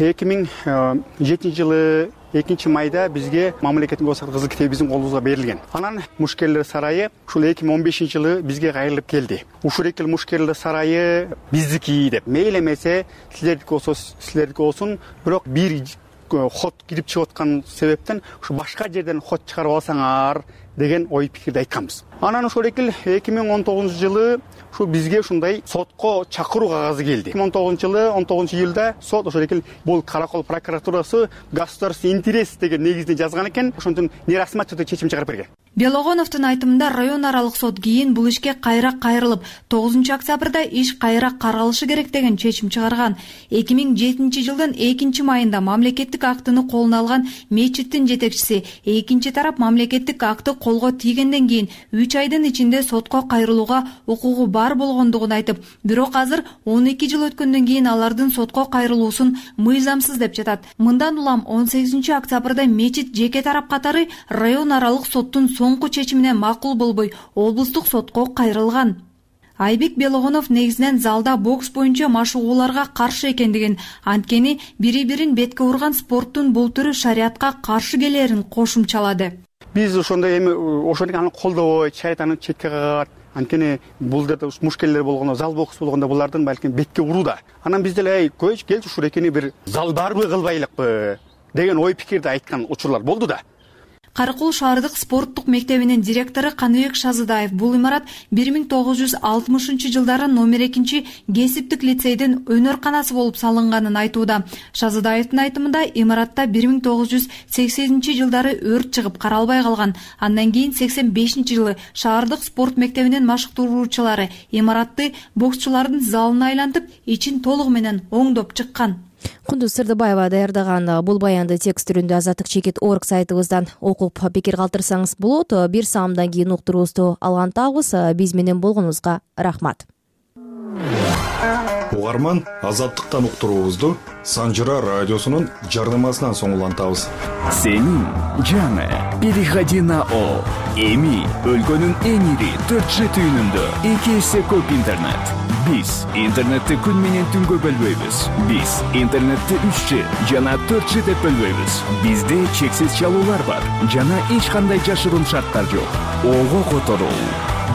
2007 жылы 2-майда бизге мамлекеттин государственный кызыл китеби биздин колубузга берилген. Анан мушкерлер сарайы ушул 2015 жылы бизге кайрылып келди. Ушул эки мушкерлер сарайы биздики деп. Мейли эмесе силердики болсун, бирок бир ход кирип чыгып аткан себептен ушу башка жерден ход чыгарып алсаңар деген ой пикирди айтканбыз. Анан ошол эки 2019 жылы ушул бизге ушундай сотко чакыруу кагазы келди. 2019 жылы 19 июлда сот ошол эки бул Каракол прокуратурасы государственный интерес деген негизде жазган экен. Ошондон нерасмий түрдө чечим чыгарып берген. Белогоновдун айтымында район аралык сот кийин бул ишке кайра кайрылып, 9 октябрда иш кайра каралышы керек деген чечим чыгарган. 2007 жылдын 2-майында мамлекеттик актыны колуна алган мечиттин жетекчиси экинчи тарап мамлекеттик акты колго тийгенден кийин 3 айдын ичинде сотко кайрылууга укугу бар болгондугун айтып, бирок азыр 12 жыл өткөндөн кийин алардын сотко кайрылуусун мыйзамсыз деп жатат. Мындан улам 18 октябрда мечит жеке тарап катары район аралык соттун соңку чечимине макул болбой облустук сотко кайрылган. Айбек Белогонов негизинен залда бокс боюнча машыгууларга каршы экендигин, анткени бири-бирин бетке урган спорттун бул түрү шариятка каршы келерин кошумчалады. Биз ошондой эми ошону колдобой, шайтаны четке кагат. Анткени бул жерде мушкелдер болгондо, зал бокс болгондо булардын балким бетке урууда. Анан биз деле келчи ушул экени бир зал барбы кылбайлыкпы деген ой пикирди айткан учурлар болду да. Каракол шаардык спорттук мектебинин директору Каныбек Шазыдаев бул имарат 1960 номер 2 кесиптик лицейдин өнөрканасы болуп салынганын айтууда. Шазыдаевдин айтымында имаратта 1980 өрт чыгып каралбай калган. Андан кийин 85 шаардык спорт мектебинин машыктыруучулары имаратты боксчулардын залына айлантып, ичин толугу менен оңдоп чыккан. Кундуз Сырдыбаева даярдаган бул баянды текст түрүндө Азаттык.org сайтыбыздан окуп пикир калтырсаңыз болот. Бир саамдан кийин уктуруубузду алгантабыз. Биз менен болгонуңузга рахмат. Угарман, Азаттыктан уктуруубузду Санжыра радиосунун жардамасынан соң улантабыз. Сенин жаңы переходи на О. Эми өлкөнүн эң ири 4G түйүнүндө 2 эсе көп интернет. Биз интернетти күн менен түнгө бөлбөйбүз. Биз интернетти 3G жана 4G деп бөлбөйбүз. Бизде чексиз чалуулар бар жана эч кандай жашыруун шарттар жок. Ого которуу,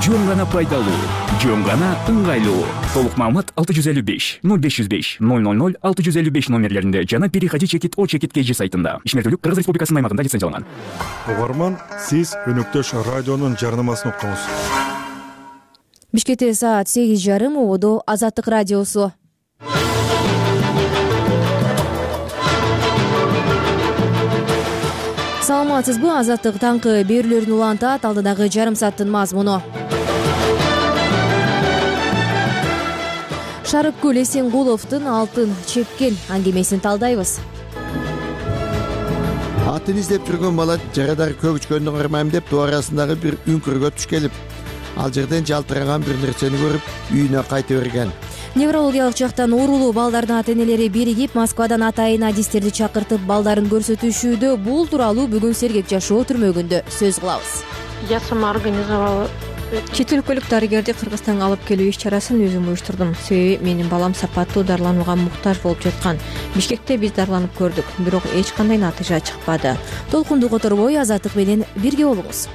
жөн гана пайдалуу, жөн гана ыңгайлуу. Толук маалымат 655 0505 000 655 номерлеринде жана переходи.o.kg сайтында. Ишмердүүлүк Кыргыз Республикасынын аймагында лицензияланган. Угарман, сиз өнөктөш радионун жарнамасын уктуңуз. Бишкекте саат 8:30 ободо Азаттык радиосу. Саламатсызбы? Азаттык таңкы берүүлөрүн улантат. Алдыдагы жарым сааттын мазмуну. Шарыккүл Эсенгуловдун алтын чепкен аңгемесин талдайбыз. Атын издеп жүргөн бала жарадар көк үчкөндү кармайм деп тоо арасындагы бир үңкүргө туш келип, ал жерден жалтыраган бир нерсени көрүп, үйүнө кайта берген. Неврологиялык жактан оорулуу балдардын ата-энелери биригип, Москвадан атайын адистерди чакыртып балдарын көрсөтүшүүдө. Бул тууралуу бүгүн Сергек жашоо түрмөгүндө сөз кылабыз. Я сама организовала. Чет өлкөлүк дарыгерди Кыргызстанга алып келүү иш-чарасын өзүм уюштурдум. Себеби менин балам сапаттуу дарыланууга муктаж болуп жаткан. Бишкекте биз дарыланып көрдүк, бирок эч кандай натыйжа чыкпады. Толкунду которбой Азаттык менен бирге болуңуз.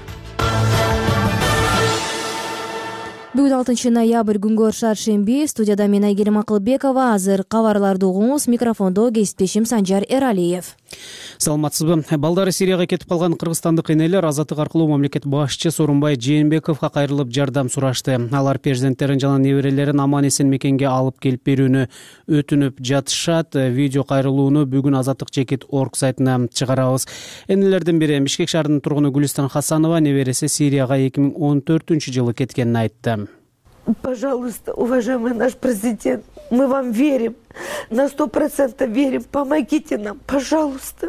Бүгүн 6 ноябрь күнгө шаршемби. Студияда мен Айгерим Акылбекова. Азыр кабарларды угуңуз. Микрофондо кесиптешим Санжар Эралиев. Саламатсызбы? Балдары Сирияга кетип калган кыргызстандык энелер Азаттык аркылуу мамлекет башчы Сооронбай Жээнбековго кайрылып жардам сурашты. Алар перзенттерин жана неберелерин аман-эсен мекенге алып келип берүүнү өтүнүп жатышат. Видео кайрылууну бүгүн Азаттык.org сайтына чыгарабыз. Энелердин бири Бишкек шаарынын тургуну Гүлистан Хасанова небереси Сирияга 2014-жылы кеткенин айтты. Пожалуйста, уважаемый наш президент, мы вам верим, на 100% верим, помогите нам, пожалуйста.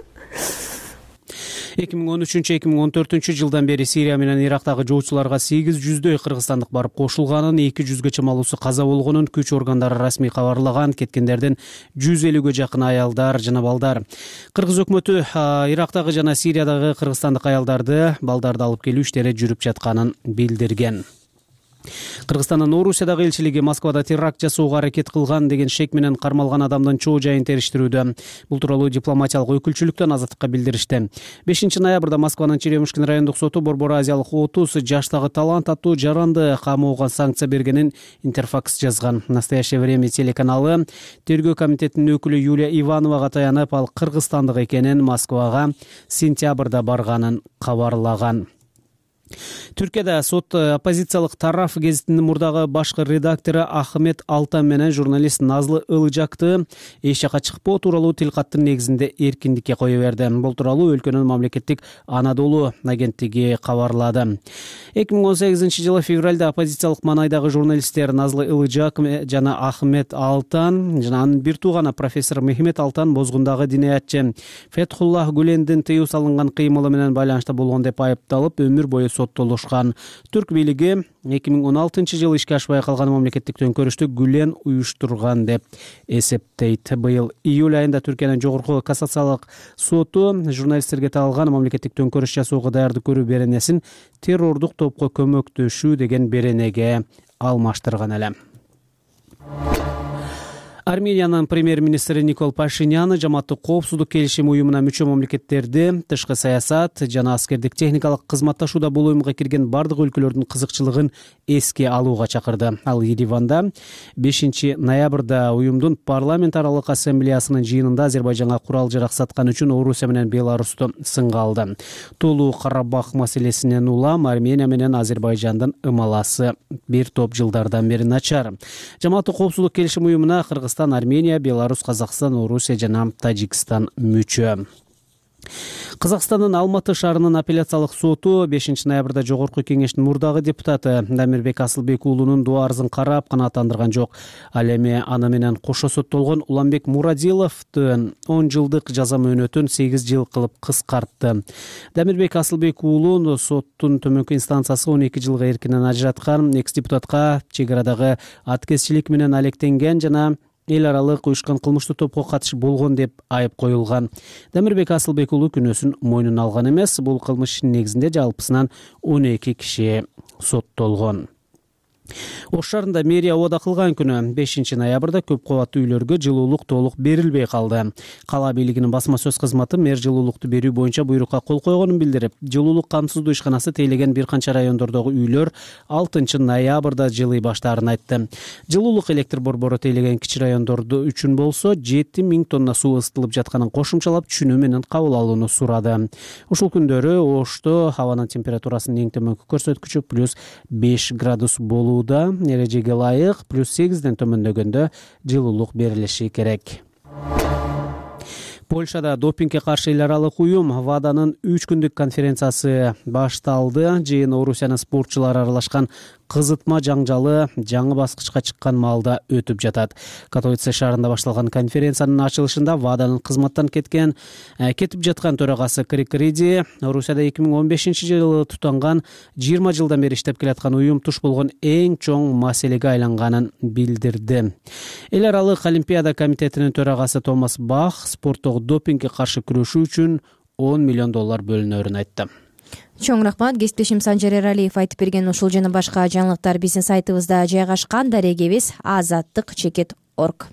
2013-2014 жылдан бери Сирия менен Ирактагы жоочуларга 800дөй кыргызстандык барып кошулганын, 200гэ чамалуусу каза болгонун күч органдары расмий кабарлаган. Кеткендердин 150гэ жакын аялдар жана балдар. Кыргыз өкмөтү Ирактагы жана Сириядагы кыргызстандык аялдарды, балдарды алып келүү иштери жүрүп жатканын билдирген. Кыргызстандын Орусиядагы элчилиги Москвада теракт жасоого аракет кылган деген шек менен кармалган адамдын чоо жайын териштирүүдө. Бул тууралуу дипломатиялык өкүлчүлүктөн Азаттыкка билдиришти. 5 ноябрда Москванын Черемушкин райондук соту Борбор Азиялык 30 жаштагы талант аттуу жаранды камоого санкция бергенин Интерфакс жазган. Настоящее время телеканалы тергөө комитетинин өкүлү Юлия Ивановага таянып, ал кыргызстандык экенин, Москвага сентябрда барганын кабарлаган. Түркияда сот оппозициялык тараф гезитинин мурдагы башкы редактору Ахмет Алтан менен журналист Назлы Ылжакты эч жака чыкпоо тууралуу тилкаттын негизинде эркиндикке кое берди. Бул тууралуу өлкөнүн мамлекеттик Анадолу агенттиги кабарлады. 2018-жылы февралда оппозициялык маанайдагы журналисттер Назлы Ылжак жана Ахмет Алтан жана анын бир тууганы профессор Мехмет Алтан бозгундагы диниятчы Фетхуллах Гүлендин тыюу салынган кыймылы менен байланышта болгон деп айыпталып, өмүр бою соттолушкан. Түрк бийлиги 2016-жылы ишке ашпай калган мамлекеттик төңкөрүштү Гүлен уюштурган деп эсептейт. Быйыл июль айында Түркиянын жогорку кассациялык соту журналисттерге тагылган мамлекеттик төңкөрүш жасоого даярдык көрүү беренесин террордук топко көмөктөшүү деген беренеге алмаштырган эле. Армениянын премьер-министри Никол Пашинян жамааттык коопсуздук келишим уюмуна мүчө мамлекеттерди тышкы саясат жана аскердик техникалык кызматташууда бул уюмга кирген бардык өлкөлөрдүн кызыкчылыгын эске алууга чакырды. Ал Ереванда 5 ноябрда уюмдун парламент аралык ассамблеясынын жыйынында Азербайжанга курал-жарак саткан үчүн Орусия менен Беларусту сынга алды. Толуу Карабах маселесинен улам Армения менен Азербайжандын ымаласы бир топ жылдардан бери начар. Жамааттык коопсуздук келишим уюмуна Кыргызстан, Армения, Беларусь, Казакстан, Орусия жана Тажикстан мүчө. Казакстандын Алматы шаарынын апелляциялык соту 5 ноябрда Жогорку кеңештин мурдагы депутаты Дамирбек Асылбек уулунун доо арызын карап канааттандырган жок. Ал эми аны менен кошо соттолгон Уламбек Мурадиловдун 10 жылдык жаза мөөнөтүн 8 жыл кылып кыскартты. Дамирбек Асылбек уулун соттун төмөнкү инстанциясы 12 жылга эркинен ажыраткан. Экс-депутатка чек арадагы аткезчилик менен алектенген жана эл аралык уюшкан кылмыштуу топко катышы болгон деп айып коюлган. Дамирбек Асылбек уулу күнөөсүн мойнуна алган эмес. Бул кылмыш ишинин негизинде жалпысынан 12 киши соттолгон. Ош шаарында мэрия убада кылган күнү 5 ноябрда көп кабаттуу үйлөргө жылуулук толук берилбей калды. Кала бийлигинин басма сөз кызматы мэр жылуулукту берүү боюнча буйрукка кол койгонун билдирип, жылуулук камсыздоо ишканасы тейлеген бир канча райондордогу үйлөр 6 ноябрда жылый баштаарын айтты. Жылуулук электр борбору тейлеген кичи райондорду үчүн болсо 7000 тонна суу ысытылып жатканын кошумчалап түшүнүү менен кабыл алууну сурады. Ушул күндөрү Ошто абанын температурасынын эң төмөнкү көрсөткүчү +5 градус болуу. Эрежеге ылайык +8ден төмөндөгөндө жылуулук берилиши керек. Польшада допингге каршы эл аралык уюм ВАДАнын 3 күндүк конференциясы башталды. Жыйын Орусиянын спортчулары аралашкан кызытма жаңжалы жаңы баскычка чыккан маалда өтүп жатат. Катовице шаарында башталган конференциянын ачылышында ВАДАнын кызматтан кетип жаткан төрагасы Крэг Риди Орусияда 2015-жылы тутанган 20 жылдан бери иштеп келаткан уюм туш болгон эң чоң маселеге айланганын билдирди. Эл аралык Олимпиада комитетинин төрагасы Томас Бах спорттогу допингге каршы күрөшүү үчүн $10 миллион бөлүнөрүн айтты. Чоң рахмат. Кесиптешим Санжар Эралиев айтып берген ушул жана башка жаңылыктар биздин сайтыбызда жайгашкан. Дарегебиз azattik.org.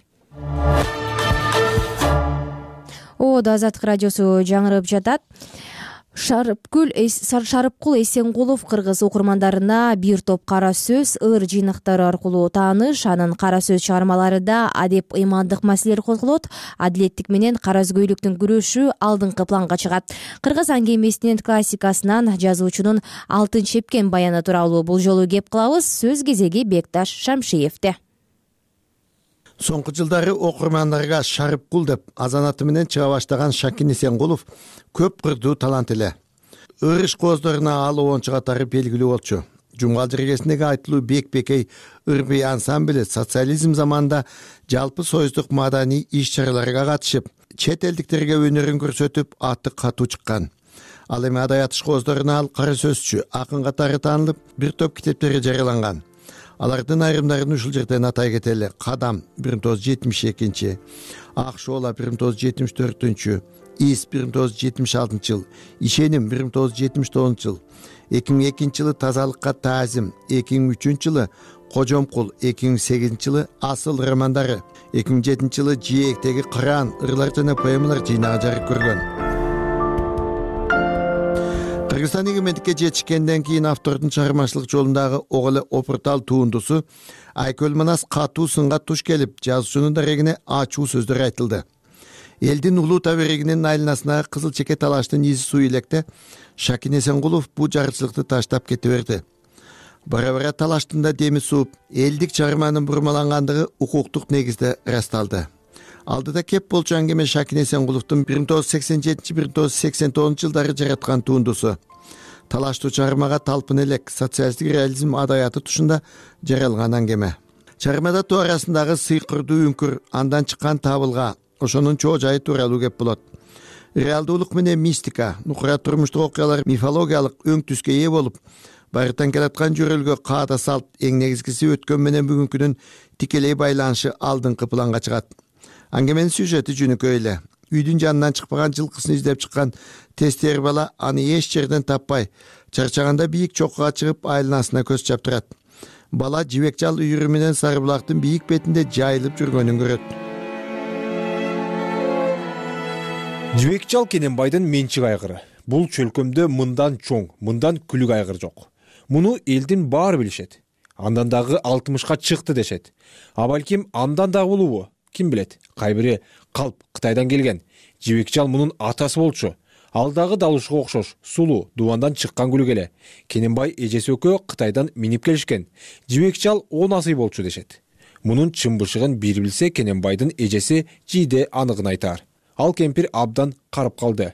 Азаттык радиосу жаңырып жатат. Шарыпкул Эсенкулов кыргыз окурмандарына бир топ кара сөз, ыр жыйнактары аркылуу тааныш, анын кара сөз чыгармаларында адеп ыймандык маселелер козголот, адилеттик менен каразгөйлүктүн күрөшү алдыңкы планга чыгат. Кыргыз аңгемесинин классикасынан жазуучунун алтын чепкен баяны тууралуу бул жолу кеп кылабыз. Сөз кезеги Бекташ Шамшиевде. Соңку жылдары окурмандарга Шарыпкул деп азанаты менен чыга баштаган Шакин Эсенкулов көп кырдуу талант эле. Ырыш кооздоруна ал оончу катары белгилүү болчу. Жумгал жергесиндеги айтылуу Бек-Бекей ыр-бий ансамбли социализм заманында жалпы союздук маданий иш-чараларга катышып, чет элдиктерге өнөрүн көрсөтүп, аты катуу чыккан. Ал эми адаят кооздоруна ал кара сөзчү, акын катары таанылып, бир топ китептери жарыяланган. Алардын айрымдарын ушул жерден атай кетели. Кадам 1972, Ак шоола 1974, Ис 1976 жыл, Ишеним 1979 жыл, 2002 жылы Тазалыкка таазим, 2003 жылы Кожомкул, 2008 жылы Асыл романдары, 2007 жылы Жээктеги кыран, ырлар жана поэмалар жыйнагы жарык көргөн. Кыргызстан эгемендикке жетишкенден кийин автордун чыгармачылык жолундагы ого эле опуртал туындусу Айкөл Манас катуу сынга туш келип, жазуучунун дарегине ачуу сөздөр айтылды. Элдин улуу таберегинин айланасына кызыл чеке талаштын изи суу электе Шакин Эсенкулов бул жарычылыкты таштап кете берди. Бара-бара талаштын да деми сууп, элдик чыгарманын бурмалангандыгы укуктук негизде ырасталды. Алдыда кеп болчу аңгеме Шакин Эсенкуловдун 1987-1989 жылдары жараткан туындусу. Талаштуу чыгармага талпын элек социалисттик реализм адаяты тушунда жаралган аңгеме. Чыгармада тоо арасындагы сыйкырдуу үңкүр, андан чыккан табылга, ошонун чоо жайы тууралуу кеп болот. Реалдуулук менен мистика, нукура турмуштук окуялар мифологиялык өң түскө ээ болуп, байыртан келаткан жөрөлгө каада салт, эң негизгиси өткөн менен бүгүнкүнүн тикелей байланышы алдыңкы планга чыгат. Аңгеменин сюжети жөнөкөй эле. Үйдүн жанынан чыкпаган жылкысын издеп чыккан тестер бала аны эч жерден таппай, чарчаганда бийик чокуга чыгып айланасына көз чаптырат. Бала жибек жал үйүрү менен Сары булактын бийик бетинде жайылып жүргөнүн көрөт. Жибек чал Кененбайдын менчик айгыры. Бул чөлкөмдө мындан чоң, мындан күлүк айгыр жок. Муну элдин баары билишет. Андан дагы 60ка чыкты дешет. А балким андан дагы болобу? Ким билет? Кайбири калп Кытайдан келген. Жибек чал мунун атасы болчу. Ал дагы далушка окшош, сулуу, дубандан чыккан күлүк эле. Кененбай эжеси экөө Кытайдан минип келишкен. Жибек чал 10 асый болчу дешет. Мунун чымбышыгын бир билсе Кененбайдын эжеси Жийде аныгын айтар. Ал кемпир абдан карып калды.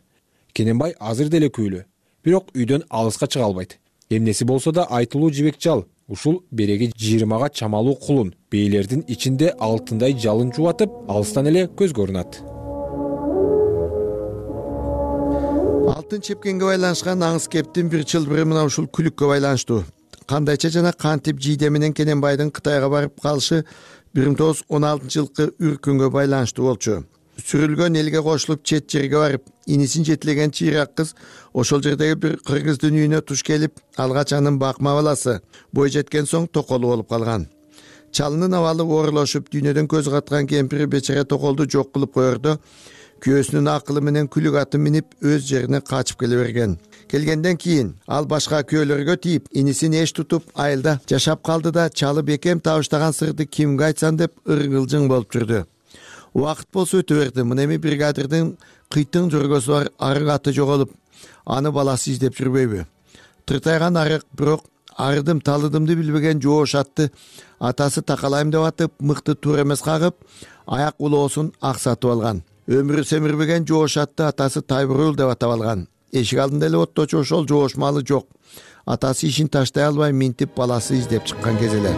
Кененбай азыр деле күйлү, бирок үйдөн алыска чыга албайт. Эмнеси болсо да айтылуу жибек чал. Ушул береги 20га чамалуу кулун бейлердин ичинде алтындай жалын жубатып, алыстан эле көз көрүнат. Алтын чепкенге байланышкан аңыз кептин бир чылбыры мына ушул күлүккө байланыштуу. Кандайча жана кантип Жийде менен Кененбайдын Кытайга барып калышы 1916-жылкы үркүнгө байланыштуу болчу. Сүрүлгөн элге кошулуп чет жерге барып, инисин жетилеген чыйрак кыз ошол жердеги бир кыргыздын үйүнө туш келип, алгач анын бакма баласы бой жеткен соң токолу болуп калган. Чалынын абалы оорулашып, дүйнөдөн көз каткан кемпири бечара токолду жок кылып коердо, күйөөсүнүн акылы менен күлүк атын минип өз жерине качып келе берген. Келгенден кийин ал башка күйөөлөргө тийип, инисин эч тутуп айылда жашап калды да, чалы бекем табыштаган сырды кимге айтсам деп ыргылжың болуп жүрдү. Убакыт болсо өтө берди. Мына эми бригадирдин кыйтың жөргөсү бар арык аты жоголуп, аны баласы издеп жүрбөйбү? Тыртайган арык, бирок арыдым талыдымды билбеген жоош атты атасы такалайм деп атып, мыкты туура эмес кагып, аяк улоосун аксатып алган. Өмүрү семирбеген жоош атты атасы Тайбурул деп атап алган. Эшик алдында эле отточу ошол жоош малы жок. Атасы ишин таштай албай минтип баласы издеп чыккан кез эле.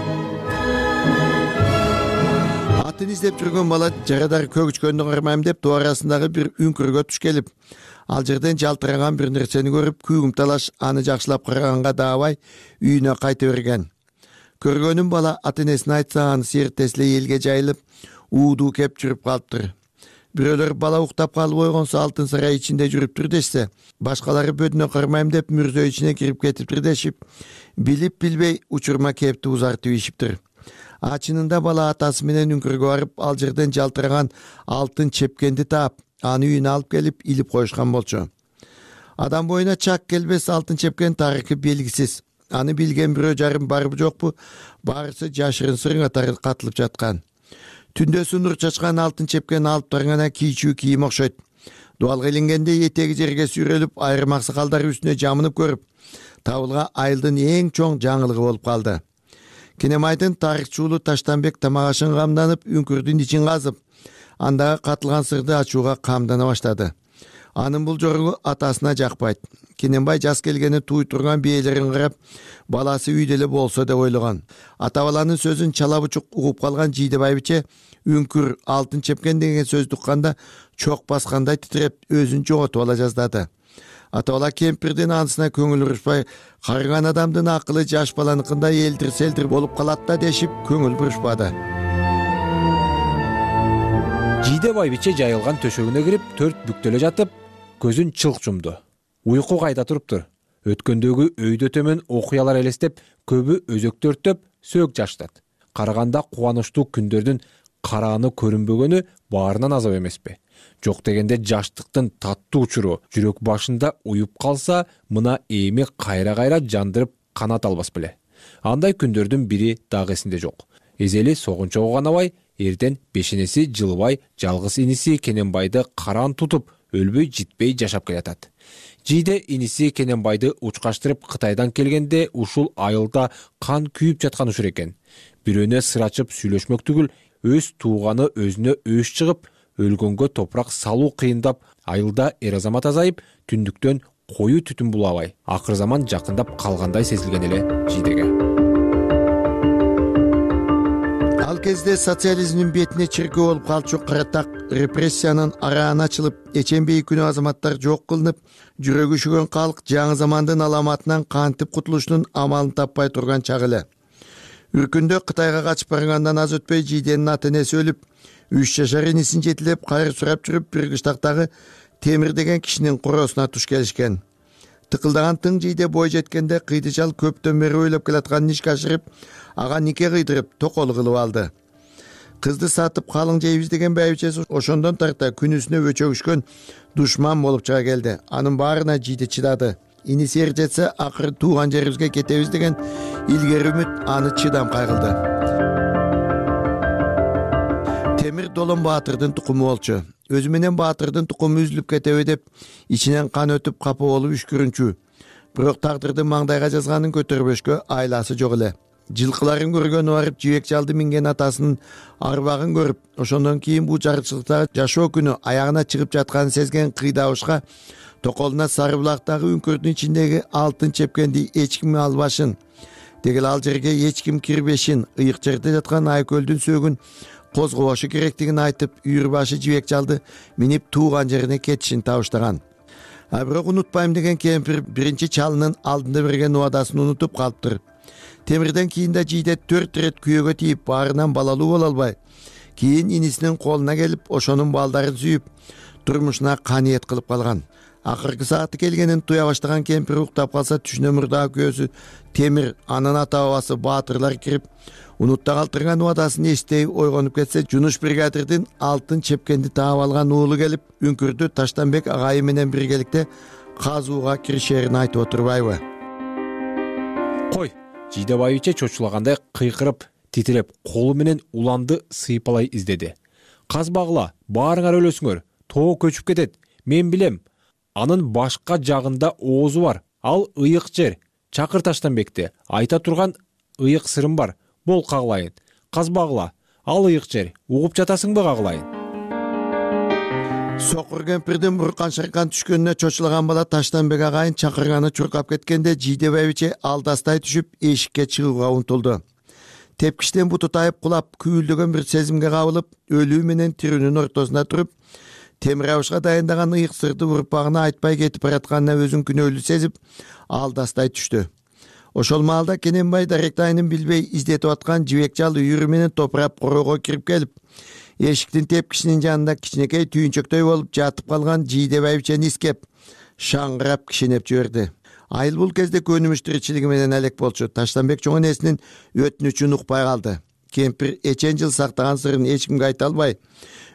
Атын издеп жүргөн бала жарадар көгүчкөндү кармайм деп тоо арасындагы бир үңкүргө туш келип, ал жерден жалтыраган бир нерсени көрүп, күйгүм талаш аны жакшылап караганга даабай үйүнө кайта берген. Көргөнүн бала ата энесине айтса, анысы эртеси эле элге жайылып, уудуу кеп жүрүп калыптыр. Бирөөлөр бала уктап калып ойгонсо алтын сарай ичинде жүрүптүр дешсе, башкалары бөдүнө кармайм деп мүрзө ичине кирип кетиптир дешип, билип билбей учурма кепти узартып ийишиптир. Ачынында бала атасы менен үңкүргө барып, ал жерден жалтыраган алтын чепкенди таап, аны үйүнө алып келип илип коюшкан болчу. Адам боюна чак келбес алтын чепкен тарыхы белгисиз. Аны билген бирөө жарым барбы жокпу, баарысы жашырын сырыңа катылып жаткан. Түндөсү нур чачкан алтын чепкен алып таргана кийчүү кийим окшойт. Дуалга илингенде этеги жерге сүйрөлүп, айрым аксакалдар үстүнө жамынып көрүп, табылга айылдын эң чоң жаңылыгы болуп калды. Кененбайдын тарыхчуулу Таштанбек тамагашын камданып, үңкүрдүн ичин казып, андагы катылган сырды ачууга камдана баштады. Анын бул жоругу атасына жакпайт. Кененбай жас келгени туй турган бээлерин карап, баласы үйдө эле болсо деп ойлогон. Ата баланын сөзүн чала бучук угуп калган Жийде байбиче үңкүр алтын чепкен деген сөздү укканда чок баскандай титиреп, өзүн жоготуп ала жаздады. Ата бала кемпирдин анысына көңүл бурушпай, карыган адамдын акылы жаш баланыкындай элдир-селдир болуп калат да дешип көңүл бурушпады. Жийде байбиче жайылган төшөгүнө кирип, төрт бүктөлө жатып, көзүн чылк жумду. Уйку кайда туруптур. Өткөндөгү өйдө төмөн окуялар элестеп, көбү өзөктөртөп, сөөк жаштат. Караганда кубанычтуу күндөрдүн карааны көрүнбөгөнү баарынан азап эмеспи? Жок дегенде жаштыктын таттуу учуру жүрөк башында уюп калса, мына эми кайра-кайра жандырып канат албас беле. Андай күндөрдүн бири дагы эсинде жок. Эзели согунчого канабай, эрден бешенеси жылбай, жалгыз иниси Кененбайды караан тутуп, өлбөй житпей жашап келатат. Жийде иниси Кененбайды учкаштырып Кытайдан келгенде ушул айылда кан күйүп жаткан учур экен. Бирөөнө сыр ачып сүйлөшмөк түгүл, өз тууганы өзүнө өш чыгып, өлгөнгө топурак салуу кыйындап, айылда эр азамат азайып, түндүктөн кою түтүн булабай, акыр заман жакындап калгандай сезилген эле Жийдеге. Ал кезде социализмдин бетине чиркөө болуп калчу каратак репрессиянын арааны ачылып, эчембей күнү азаматтар жок кылынып, жүрөгү үшүгөн калк жаңы замандын аламатынан кантип кутулуштун амалын таппай турган чак эле. Үркүндө Кытайга качып баргандан аз өтпөй Жийденин ата энеси өлүп, 3 жашар инисин жетилеп, кайыр сурап жүрүп, бир кыштактагы Темир деген кишинин короосуна туш келишкен. Тыкылдаган тың Жийде бой жеткенде кыйды чал көптөн бери ойлоп келаткан ишке ашырып, ага нике кыйдырып, токолу кылып алды. кызды сатып калың жейбиз деген байбичеси ошондон тарта күнүсүнө өчөгүшкөн душман болуп чыга келди. Анын баарына жийди чыдады. Иниси эр жетсе акыры тууган жерибизге кетебиз деген илгери үмүт аны чыдам кайгылды. Темир Долон Баатырдын тукуму болчу. Өзү менен Баатырдын тукуму үзүлүп кетеби деп ичинен кан өтүп капа болуп үшкүрүнчү. Бирок тагдырдын маңдайга жазганын көтөрбөшкө айласы жок эле. Жылкыларын көргөнү барып жибек жалды минген атасынын арбагын көрүп, ошондон кийин бул жарчылыктагы жашоо күнү аягына чыгып жатканын сезген кыйдабышка токолуна Сары булактагы үңкүрдүн ичиндеги алтын чепкенди эч ким албашын, дегел ал жерге эч ким кирбешин, ыйык жерде жаткан Айкөлдүн сөөгүн козгобошу керектигин айтып, үйүрбашы жибек жалды минип тууган жерине кетишин табыштаган. Бирок унутпайм деген кемпир биринчи чалынын алдында берген убадасын унутуп калыптыр. Темирден кийин да жийде 4 рет күйөөгө тийип, баарынан балалуу боло албай, кийин инисинин колуна келип, ошонун балдарын сүйүп, турмушуна каниет кылып калган. Акыркы сааты келгенин туя баштаган кемпир уктап калса, түшүнө мурдагы күйөөсү Темир, анын ата бабасы Баатырлар кирип, унутта калтырган убадасын эстей ойгонуп кетсе, Жунуш бригадирдин алтын чепкенди таап алган уулу келип, үңкүрдү Таштанбек агайы менен биргеликте казууга киришерин айтып отурбайбы? Кой, жийде байбиче чочулагандай кыйкырып, титиреп, колу менен уланды сыйпалай издеди. Казбагыла, баарыңар өлөсүңөр, тоо көчүп кетет. Мен билем. Анын башка жагында оозу бар. Ал ыйык жер. Чакыр Таштанбекти. Айта турган ыйык сырым бар. Бол кагылайын. Казбагыла, ал ыйык жер. Угуп жатасыңбы кагылайын? Сокур кемпирдин буркан шаркан түшкөнүнө чочулаган бала Таштанбек агайын чакырганы чуркап кеткенде жийде байбиче алдастай түшүп эшикке чыгууга умтулду. Тепкичтен буту тайып кулап, күйүлдөгөн бир сезимге кабылып, өлүү менен тирүүнүн ортосунда туруп, темир абышка дайындаган ыйык сырды урпагына айтпай кетип баратканына өзүн күнөөлүү сезип, алдастай түштү. Ошол маалда Кененбай даректайынын билбей издетип аткан жибек жал үйүрү менен топурап короого кирип келип, эшиктин тепкичинин жанында кичинекей түйүнчөктөй болуп жатып калган жийде байбичени искеп, шаңгырап кишинеп жиберди. Айыл бул кезде көнүмүш тиричилиги менен алек болчу. Таштанбек чоң энесинин өтүнүчүн укпай калды. Кемпир эчен жыл сактаган сырын эч кимге айта албай,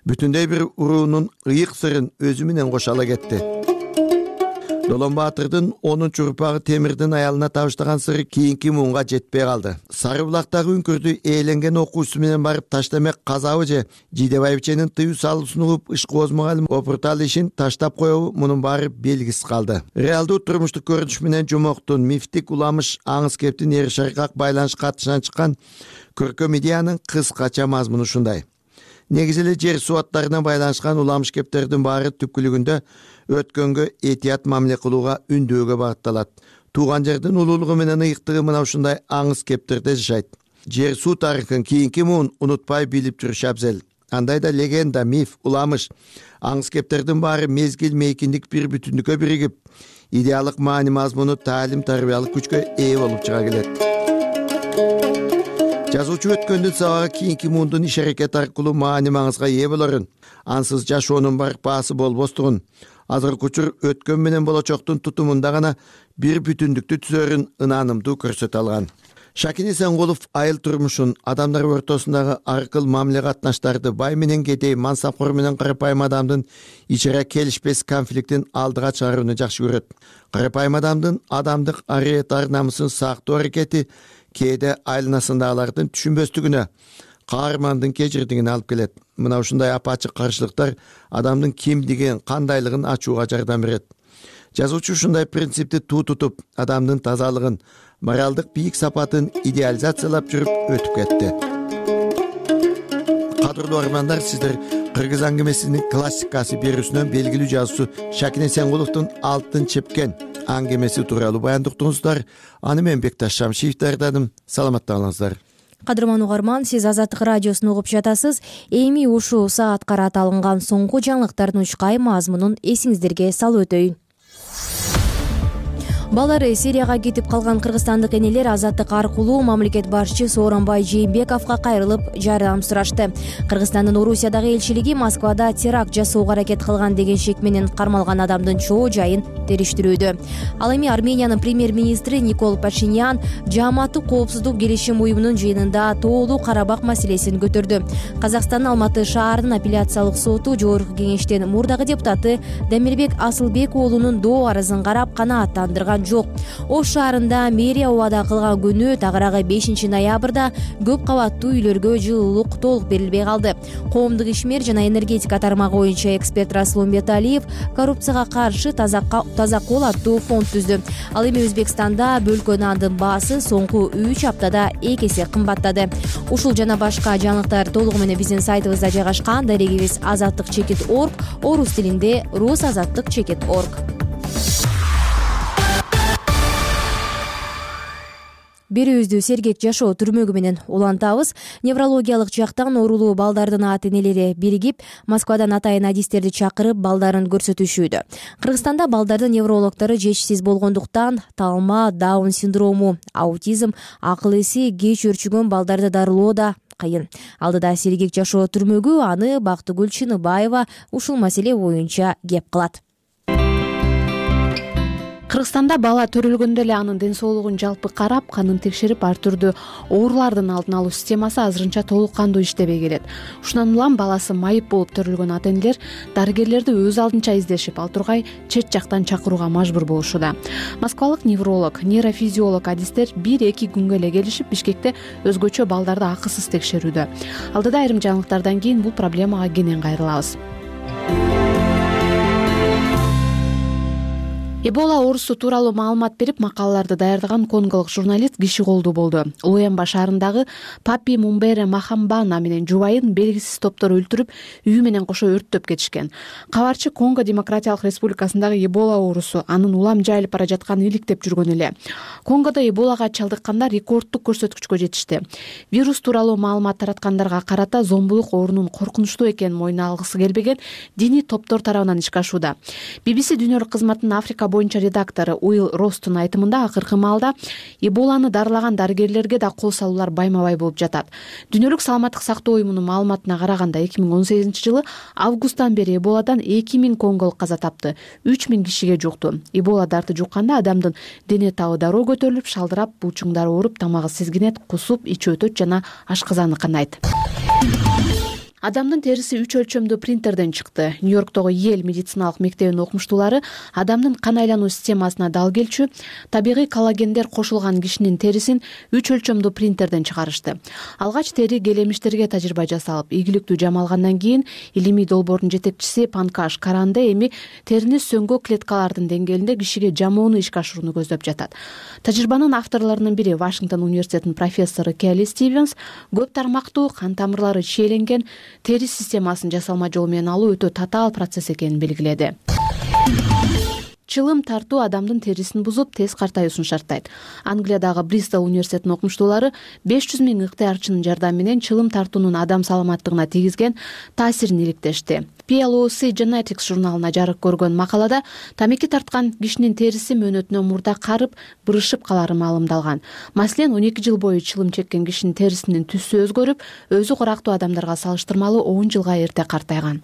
бүтүндөй бир уруунун ыйык сырын өзү менен кошо ала кетти. Долон Баатырдын 10 урпагы Темирдин аялына табыштаган сыры кийинки муунга жетпей калды. Сары булактагы үңкүрдү ээленген окуучусу менен барып Таштанбек казабы же жийде байбиченин тыюу салуусун угуп, ишкооз мугалим опуртал ишин таштап коебу, мунун баары белгисиз калды. Реалдуу турмуштук көрүнүш менен жомоктун, мифтик уламыш аңыз кептин эр шаркак байланыш катышынан чыккан көркөм идеянын кыскача мазмуну ушундай. Негизи эле жер суаттарына байланышкан уламыш кептердин баары түпкүлүгүндө өткөнгө этият мамиле кылууга үндөөгө багытталат. Тууган жердин улуулугу менен ыйыктыгы мына ушундай аңыз кептерде жашайт. Жер суу тарыхын кийинки муун унутпай билип жүрүш абзел. Андайда легенда, миф, уламыш, аңыз кептердин баары мезгил мейкиндик бир бүтүндүккө биригип, идеалдык маани мазмуну таалим тарбиялык күчкө ээ болуп чыга келет. Жазуучу өткөндүн сабагы кийинки муундун иш аракет аркылуу маани маңызга ээ болорун, ансыз жашоонун барпаасы болбостугун, азыркы учур өткөн менен болочоктун тутумунда гана бир бүтүндүктү түзөрүн ынанымдуу көрсөтө алган. Шакин Эсенкулов айыл турмушун, адамдар ортосундагы аркыл мамиле катнаштарды, бай менен кедей, мансапкор менен карапайым адамдын ич ара келишпес конфликтин алдыга чыгарууну жакшы көрөт. Карапайым адамдын адамдык ариет ар намысын сактоо аракети кээде айланасындагылардын түшүнбөстүгүнө, каармандын кечирдигине алып келет. Мына ушундай апачык каршылыктар адамдын кимдигин, кандайлыгын ачууга жардам берет. Жазуучу ушундай принципти туу тутуп, адамдын тазалыгын, моралдык бийик сапатын идеализациялап жүрүп өтүп кетти. Кадырлуу армандар, сиздер Кыргыз аңгемесинин классикасы берүүсүнөн белгилүү жазуучу Шакин Эсенкуловдун Алтын чепкен аңгемеси тууралуу баяндуктуңуздар. Аны мен Бекташ Шамшиев даярдадым. Саламатта калыңыздар. Кадырман угарман, сиз Азаттык радиосун угуп жатасыз. Эми ушул саатка карата алынган соңку жаңылыктардын учкай мазмунун эсиңиздерге салып өтөйүн. Балдары Сирияга кетип калган кыргызстандык энелер азаттык аркылуу мамлекет башчы Сооронбай Жээнбековго кайрылып жардам сурашты. Кыргызстандын Орусиядагы элчилиги Москвада теракт жасоого аракет кылган деген шек менен кармалган адамдын чоо жайын териштирүүдө. Ал эми Армениянын премьер-министри Никол Пашинян Жааматтык коопсуздук келишим уюмунун жыйынында тоолуу Карабак маселесин көтөрдү. Казакстандын Алматы шаарынын апелляциялык соту жогорку кеңештин мурдагы депутаты Демирбек Асылбек уулунун доо арызын карап канааттандырган жок. Ош шаарында мэрия убада кылган күнү тагыраагы 5 ноябрда көп кабаттуу үйлөргө жылуулук толук берилбей калды. Коомдук ишмер жана энергетика тармагы боюнча эксперт Расул Умбеталиев коррупцияга каршы таза кол аттуу фонд түздү. Ал эми Өзбекстанда бөлкө нандын баасы соңку 3 аптада 2 эсе кымбаттады. Ушул жана башка жаңылыктар толугу менен биздин сайтыбызда жайгашкан. Дарегибиз azattikcheket.org, орус тилинде rusazattikcheket.org. Берүүбүздү сергек жашоо түрмөгү менен улантабыз. Неврологиялык жактан оорулуу балдардын ата-энелери биригип, Москвадан атайын адистерди чакырып балдарын көрсөтүшүүдө. Кыргызстанда балдардын неврологдору жетишсиз болгондуктан талма, Даун синдрому, аутизм, акыл эси кеч өрчүгөн балдарды дарылоо да кыйын. Алдыда сергек жашоо түрмөгү аны Бактыгүл Чыныбаева ушул маселе боюнча кеп кылат. Кыргызстанда бала төрөлгөндө эле анын ден соолугун жалпы карап, канын текшерип, ар түрдүү оорулардын алдын алуу системасы азырынча толук кандуу иштебей келет. Ушундан улам баласы майып болуп төрөлгөн ата-энелер дарыгерлерди өз алдынча издешип, ал тургай чет жактан чакырууга мажбур болушууда. Москвалык невролог, нейрофизиолог адистер 1-2 күнгө эле келишип, Бишкекте өзгөчө балдарды акысыз текшерүүдө. Алдыда айрым жаңылыктардан кийин бул проблемага кенен кайрылабыз. Эбола оорусу тууралуу маалымат берип, макалаларды даярдаган конголук журналист киши колдуу болду. Луэмба шаарындагы Папи Мумбере Махамбана менен жубайын белгисиз топтор өлтүрүп, үйү менен кошо өрттөп кетишкен. Кабарчы Конго Демократиялык Республикасындагы Эбола оорусу анын улам жайылып бара жатканын иликтеп жүргөн эле. Конгодо Эболага чалдыккандар рекордтук көрсөткүчкө жетишти. Вирус тууралуу маалымат тараткандарга карата зомбулук оорунун коркунучтуу экенин мойнуна алгысы келбеген диний топтор тарабынан ишке ашууда. BBC дүйнөлүк кызматынын Африка боюнча редактору Уилл Ростун айтымында акыркы маалда Эболаны дарылаган дарыгерлерге да кол салуулар байма-бай болуп жатат. Дүйнөлүк саламаттык сактоо уюмунун маалыматына караганда 2018-жылы августтан бери Эболадан 2000 конголук каза тапты, 3000 кишиге жукту. Эбола дарты жукканда адамдын дене табы дароо көтөрүлүп, шалдырап, булчуңдары ооруп, тамагы сезгинет, кусуп, ичи өтөт жана ашказаны канайт. Адамдын териси 3 өлчөмдүү принтерден чыкты. Нью-Йорктогу Йель медициналык мектебинин окумуштуулары адамдын кан айлануу системасына дал келчү табигый коллагендер кошулган кишинин терисин 3 өлчөмдүү принтерден чыгарышты. Алгач тери келемиштерге тажрыйба жасалып, ийгиликтүү жам алгандан кийин илимий долбоордун жетекчиси Панкаш Каранде эми терини сөңгө клеткалардын деңгээлинде кишиге жамоону ишке ашырууну көздөп жатат. Тажрыйбанын авторлорунун бири Вашингтон университетинин профессору Келли Стивенс көп тармактуу кан тамырлары чийеленген тери системасын жасалма жол менен алуу өтө татаал процесс экенин белгиледи. Чылым тартуу адамдын терисин бузуп, тез картаюусун шарттайт. Англиядагы Бристол университетинин окумуштуулары 500 000 ыктыярчынын жардамы менен чылым тартуунун адам саламаттыгына тийгизген таасирин иликтешти. PLOC Genetics журналына жарык көргөн макалада тамеки тарткан кишинин териси мөөнөтүнөн мурда карып, бырышып калары маалымдалган. Маселен, 12 жыл бою чылым чеккен кишинин терисинин түсү өзгөрүп, өзү курактуу адамдарга салыштырмалуу 10 жылга эрте картайган.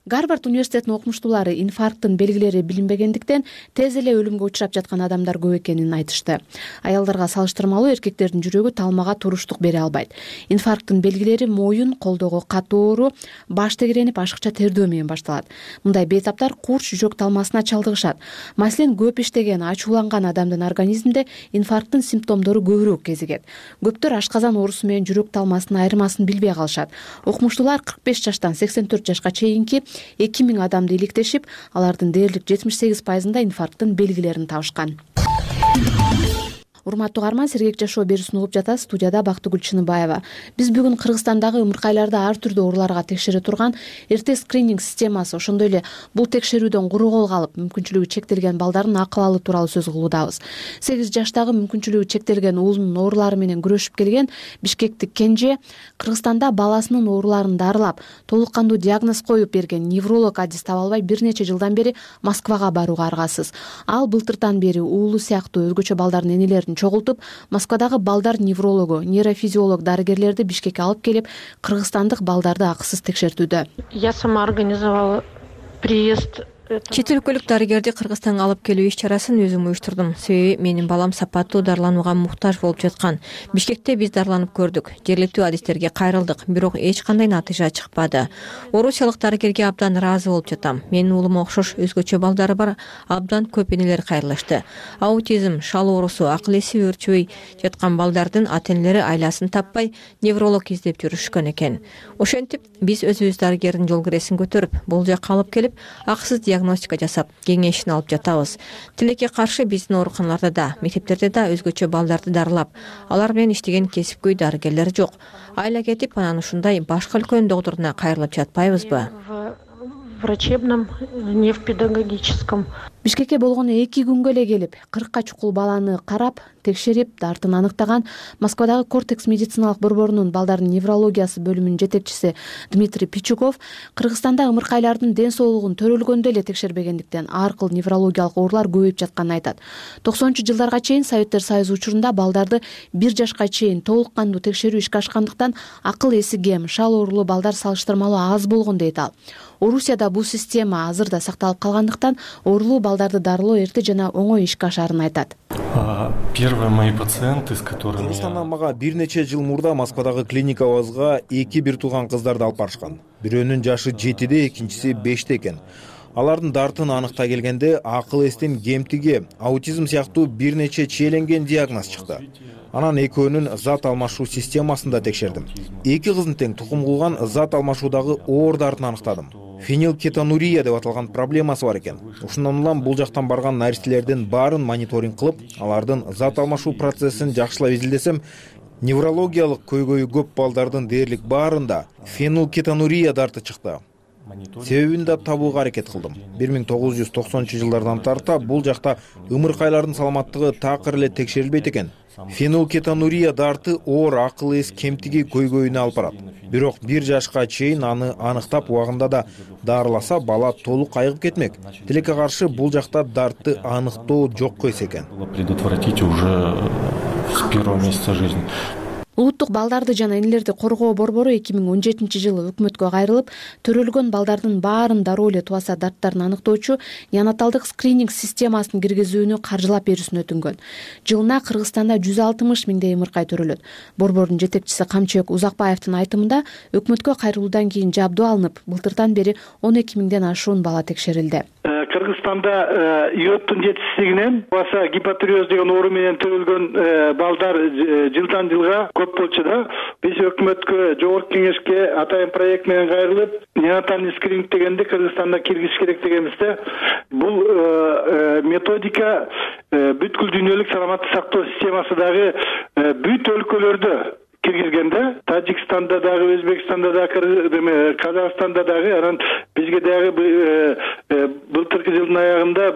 Гарвард университетинин окумуштуулары инфаркттын белгилери билинбегендиктен тез эле өлүмгө учурап жаткан адамдар көп экенин айтышты. Аялдарга салыштырмалуу эркектердин жүрөгү талмага туруштук бере албайт. Инфаркттын белгилери моюн, колдогу катуу оору, баш тегеренип, ашыкча тердөө менен башталат. Мындай бейтаптар курч жүрөк талмасына чалдыгышат. Маселен, көп иштеген, ачууланган адамдын организминде инфаркттын симптомдору көбүрөөк кезигет. Көптөр ашказан оорусу менен жүрөк талмасынын айырмасын билбей калышат. Окумуштуулар 45 жаштан 84 жашка чейинки 2000 адамды иликтешип, алардын дээрлик 78%-ында инфаркттын белгилерин табышкан. урматтуу каарман, Сергек жашоо берүүсүн угуп жатасыз. Студияда Бактыгүл Чыныбаева. Биз бүгүн Кыргызстандагы ымыркайларды ар түрдүү ооруларга текшере турган эрте скрининг системасы, ошондой эле бул текшерүүдөн куру кол калып, мүмкүнчүлүгү чектелген балдардын акыбалы тууралуу сөз кылуудабыз. 8 жаштагы мүмкүнчүлүгү чектелген уулунун оорулары менен күрөшүп келген бишкектик Кенже Кыргызстанда баласынын ооруларын дарылап, толук кандуу диагноз коюп берген невролог адис таба албай бир нече жылдан бери Москвага барууга аргасыз. Ал былтыртан бери уулу сыяктуу өзгөчө балдардын энелерин чогултуп, Москвадагы балдар неврологу, нейрофизиолог дарыгерлерди Бишкекке алып келип, кыргызстандык балдарды акысыз текшертүүдө. Я сама организовала приезд. Чет өлкөлүк дарыгерди Кыргызстанга алып келүү иш чарасын өзүм уюштурдум. Себеби менин балам сапаттуу дарыланууга муктаж болуп жаткан. Бишкекте биз дарыланып көрдүк. Жергиликтүү адистерге кайрылдык, бирок эч кандай натыйжа чыкпады. Орусиялык дарыгерге абдан ыраазы болуп жатам. Менин уулума окшош өзгөчө балдары бар абдан көп энелер кайрылышты. Аутизм, шал оорусу, акыл эси өөрчүбөй жаткан балдардын ата-энелери айласын таппай невролог издеп жүрүшкөн экен. Ошентип биз өзүбүз дарыгердин жол киресин көтөрүп, бул жакка алып келип, акысыз диагностика жасап, кеңешин алып жатабыз. Тилекке каршы биздин ооруканаларда да, мектептерде да өзгөчө балдарды дарылап, алар менен иштеген кесипкөй дарыгерлер жок. Айла кетип, анан ушундай башка өлкөнүн доктуруна кайрылып жатпайбызбы? Врачебном, не в педагогическом. Бишкекке болгону 2 күнгө эле келип, 40 чукул баланы карап, текшерип, дартын аныктаган Москвадагы Кортекс медициналык борборунун балдардын неврологиясы бөлүмүнүн жетекчиси Дмитрий Пичуков Кыргызстанда ымыркайлардын ден соолугун төрөлгөндө эле текшербегендиктен ар кыл неврологиялык оорулар көбөйүп жатканын айтат. 90-жылдарга чейин Советтер Союзу учурунда балдарды 1 жашка чейин толук кандуу текшерүү ишке ашкандыктан акыл эси кем, шал оорулуу балдар салыштырмалуу аз болгон дейт ал. Орусияда бул система азырда сакталып калгандыктан оорулуу балдарды дарылоо эрте жана оңой ишке ашарын айтат. Первые мои пациенты, с которыми... Кыргызстандан мага бир нече жыл мурда Москвадагы клиникабызга 2 бир тууган кыздарды алып барышкан. Бирөөнүн жашы 7-де, экинчиси 5-те экен. Алардын дартын аныктай келгенде акыл эстин кемтиги, аутизм сыяктуу бир нече чиеленген диагноз чыкты. Анан экөөнүн зат алмашуу системасында текшердим. 2 кыздын тең тукум кылган зат алмашуудагы оор дартын аныктадым. Фенилкетонурия деп аталган проблемасы бар экен. Ушундан улам бул жактан барган наристелердин баарын мониторинг кылып, алардын зат алмашуу процессин жакшылап изилдесем, неврологиялык көйгөйү көп балдардын дээрлик баарында фенилкетонурия дарты чыкты. Себебин да табууга аракет кылдым. 1990-жылдардан тарта бул жакта ымыркайлардын саламаттыгы такыр эле текшерилбейт экен. Фенилкетонурия дарты оор акыл эс кемтиги көйгөйүнө алып барат. Бирок 1 жашка чейин аны аныктап убагында да дарыласа, бала толук айыгып кетмек. Тилекке каршы бул жакта дартты аныктоо жок экен. Предотвратить уже с первого месяца жизни. Улуттук балдарды жана энелерди коргоо борбору 2017-жылы өкмөткө кайрылып, төрөлгөн балдардын баарын дароо эле тубаса дарттарын аныктоочу неонаталдык скрининг системасын киргизүүнү каржылап берүүсүн өтүнгөн. Жылына Кыргызстанда 160 миңдей ымыркай төрөлөт. Борбордун жетекчиси Камчыбек Узакбаевдин айтымында, өкмөткө кайрылуудан кийин жабдуу алынып, былтыртан бери 12 миңден ашуун бала текшерилди. Кыргызстанда иоттун жетишсиздигинен баса гипотиреоз деген оору менен төрөлгөн балдар жылдан жылга көп болчу да. Биз өкмөткө, жогорку кеңешке атайын проект менен кайрылып, неонатальный скрининг дегенди Кыргызстанда киргизиш керек дегенбиз да. Бул методика бүткүл дүйнөлүк саламаттык сактоо системасы дагы бүт өлкөлөрдө киргизгенде, Тажикстанда дагы, Өзбекстанда дагы, Казакстанда дагы, анан бизге дагы былтыркы жылдын аягында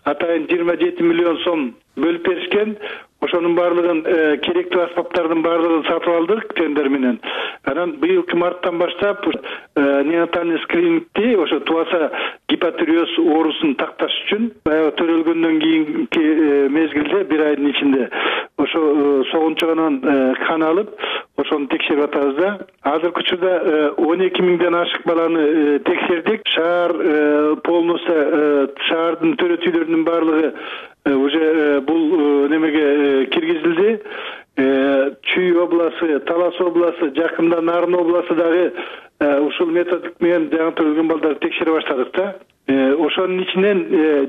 атайын 27 миллион сом бөлүп беришкен. Ошонун баардыгын керектүү аспаптардын баардыгын сатып алдык тендер менен. Анан быйылкы марттан баштап неонатальный скринингти ошо тубаса гипотиреоз оорусун такташ үчүн баягы төрөлгөндөн кийинки мезгилде 1 айдын ичинде ошо согунчугунан кан алып, ошону текшерип атабыз да. Азыркы учурда 12 миңден ашык баланы текшердик. Шаар полностью шаардын төрөтүүлөрүнүн баардыгы уже бул немеге киргизилди. Чүй областы, Талас областы, жакында Нарын областы дагы ушул методик менен жаңы төрөлгөн балдарды текшере баштадык да. Ошонун ичинен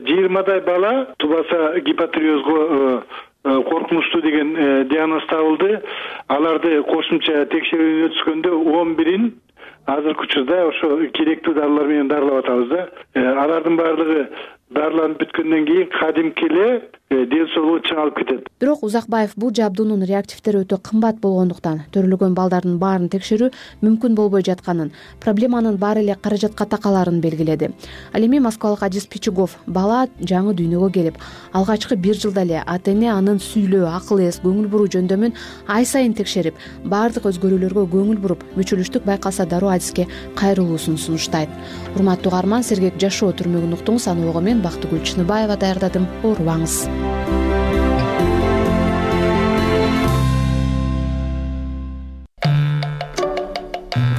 20дай бала тубаса гипотиреозго коркунучтуу деген диагноз табылды. Аларды кошумча текшерүүдөн өткөндө 11-ин азыркы учурда ошо керектүү дарылар менен дарылап атабыз да. Алардын баардыгы дарыланып бүткөндөн кийин кадимки эле ден соолугу чыңалып кетет. Бирок Узакбаев бул жабдуунун реактивдери өтө кымбат болгондуктан төрөлгөн балдардын баарын текшерүү мүмкүн болбой жатканын, проблеманын баары эле каражатка такаларын белгиледи. Ал эми москвалык Адис Пичугов бала жаңы дүйнөгө келип, алгачкы 1 жылда эле ата-эне анын сүйлөө, акыл эс, көңүл буруу жөндөмүн ай сайын текшерип, баардык өзгөрүүлөргө көңүл буруп, мүчүлүштүк байкалса дароо Адиске кайрылуусун сунуштайт. Урматтуу угарман, сергек жашоо түрмөгүн уктуңуз. Аны ого мен Бактыгүл Чыныбаева даярдадым. Оорубаңыз.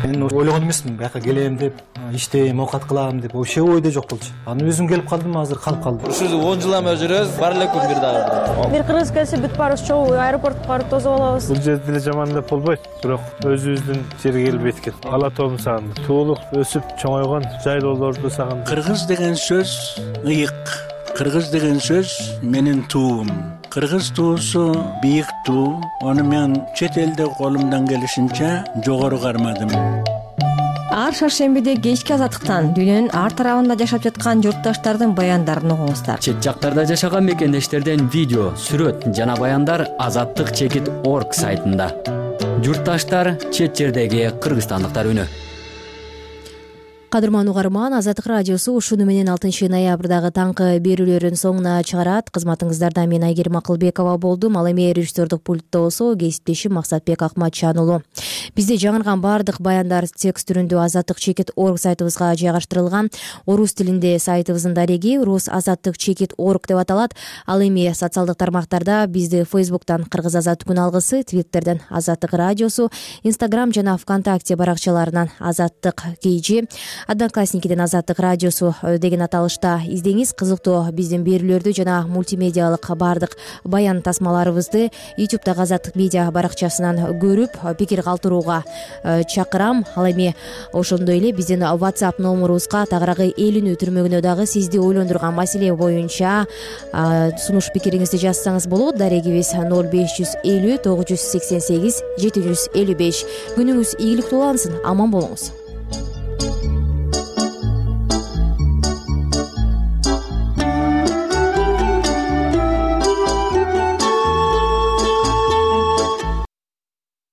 Мен ойлогон эмесмин бияка келем деп, иштейм, оокат кылам деп, вообще ойдо жок болчу. Аны өзүм келип калдым, азыр калып калдым. Ушул 10 жылдан жүрөбүз, бар эле күн бир дагы. Бир кыргыз келсе бүт барыбыз чогуу аэропортко барып тосуп алабыз. Бул жерде деле жаман деп болбойт, бирок өзүбүздүн жерге келбейт экен. Ала тоом сагындым. Туулуп, өсүп, чоңойгон жайлоолорду сагындым. Кыргыз деген сөз ыйык. Кыргыз деген сөз менин туум. Кыргыз туусу бийик туу. Аны мен чет элде колумдан келишинче жогору кармадым. Ар шаршембиде кечки азаттыктан дүйнөнүн ар тарабында жашап жаткан журтташтардын баяндарын угуңуздар. Чет жактарда жашаган мекендештерден видео, сүрөт жана баяндар azattik.org сайтында. Журтташтар, чет жердеги кыргызстандыктар үнү. Кадырман угарман, Азаттык радиосу ушуну менен 6 ноябрдагы таңкы берүүлөрүн соңуна чыгарат. Кызматыңыздарда мен Айгерим Акылбекова болдум. Ал эми режиссердук пультту болсо кесиптешим Максатбек Акматжан уулу. Бизде жаңырган баардык баяндар текст түрүндө azattik.org сайтыбызга жайгаштырылган. Орус тилинде сайтыбыздын дареги rus.azattik.org деп аталат. Ал эми социалдык тармактарда бизди Facebook'тан Кыргыз Азаттык күн алгысы, Twitter'ден Азаттык радиосу, Instagram жана ВКонтакте баракчаларынан Азаттык KG, Одноклассникиден Азаттык радиосу деген аталышта издеңиз. Кызыктуу биздин берүүлөрдү жана мультимедиалык баардык баян тасмаларыбызды YouTube'дагы Азаттык медиа баракчасынан көрүп, пикир калтырууга чакырам. Ал эми ошондой эле биздин WhatsApp номерубузга тагыраагы элүүнүү түрмөгүнө дагы сизди ойлондурган маселе боюнча сунуш пикириңизди жазсаңыз болот. Дарегибиз 0550 988 755. Күнүңүз ийгиликтүү улансын, аман болуңуз.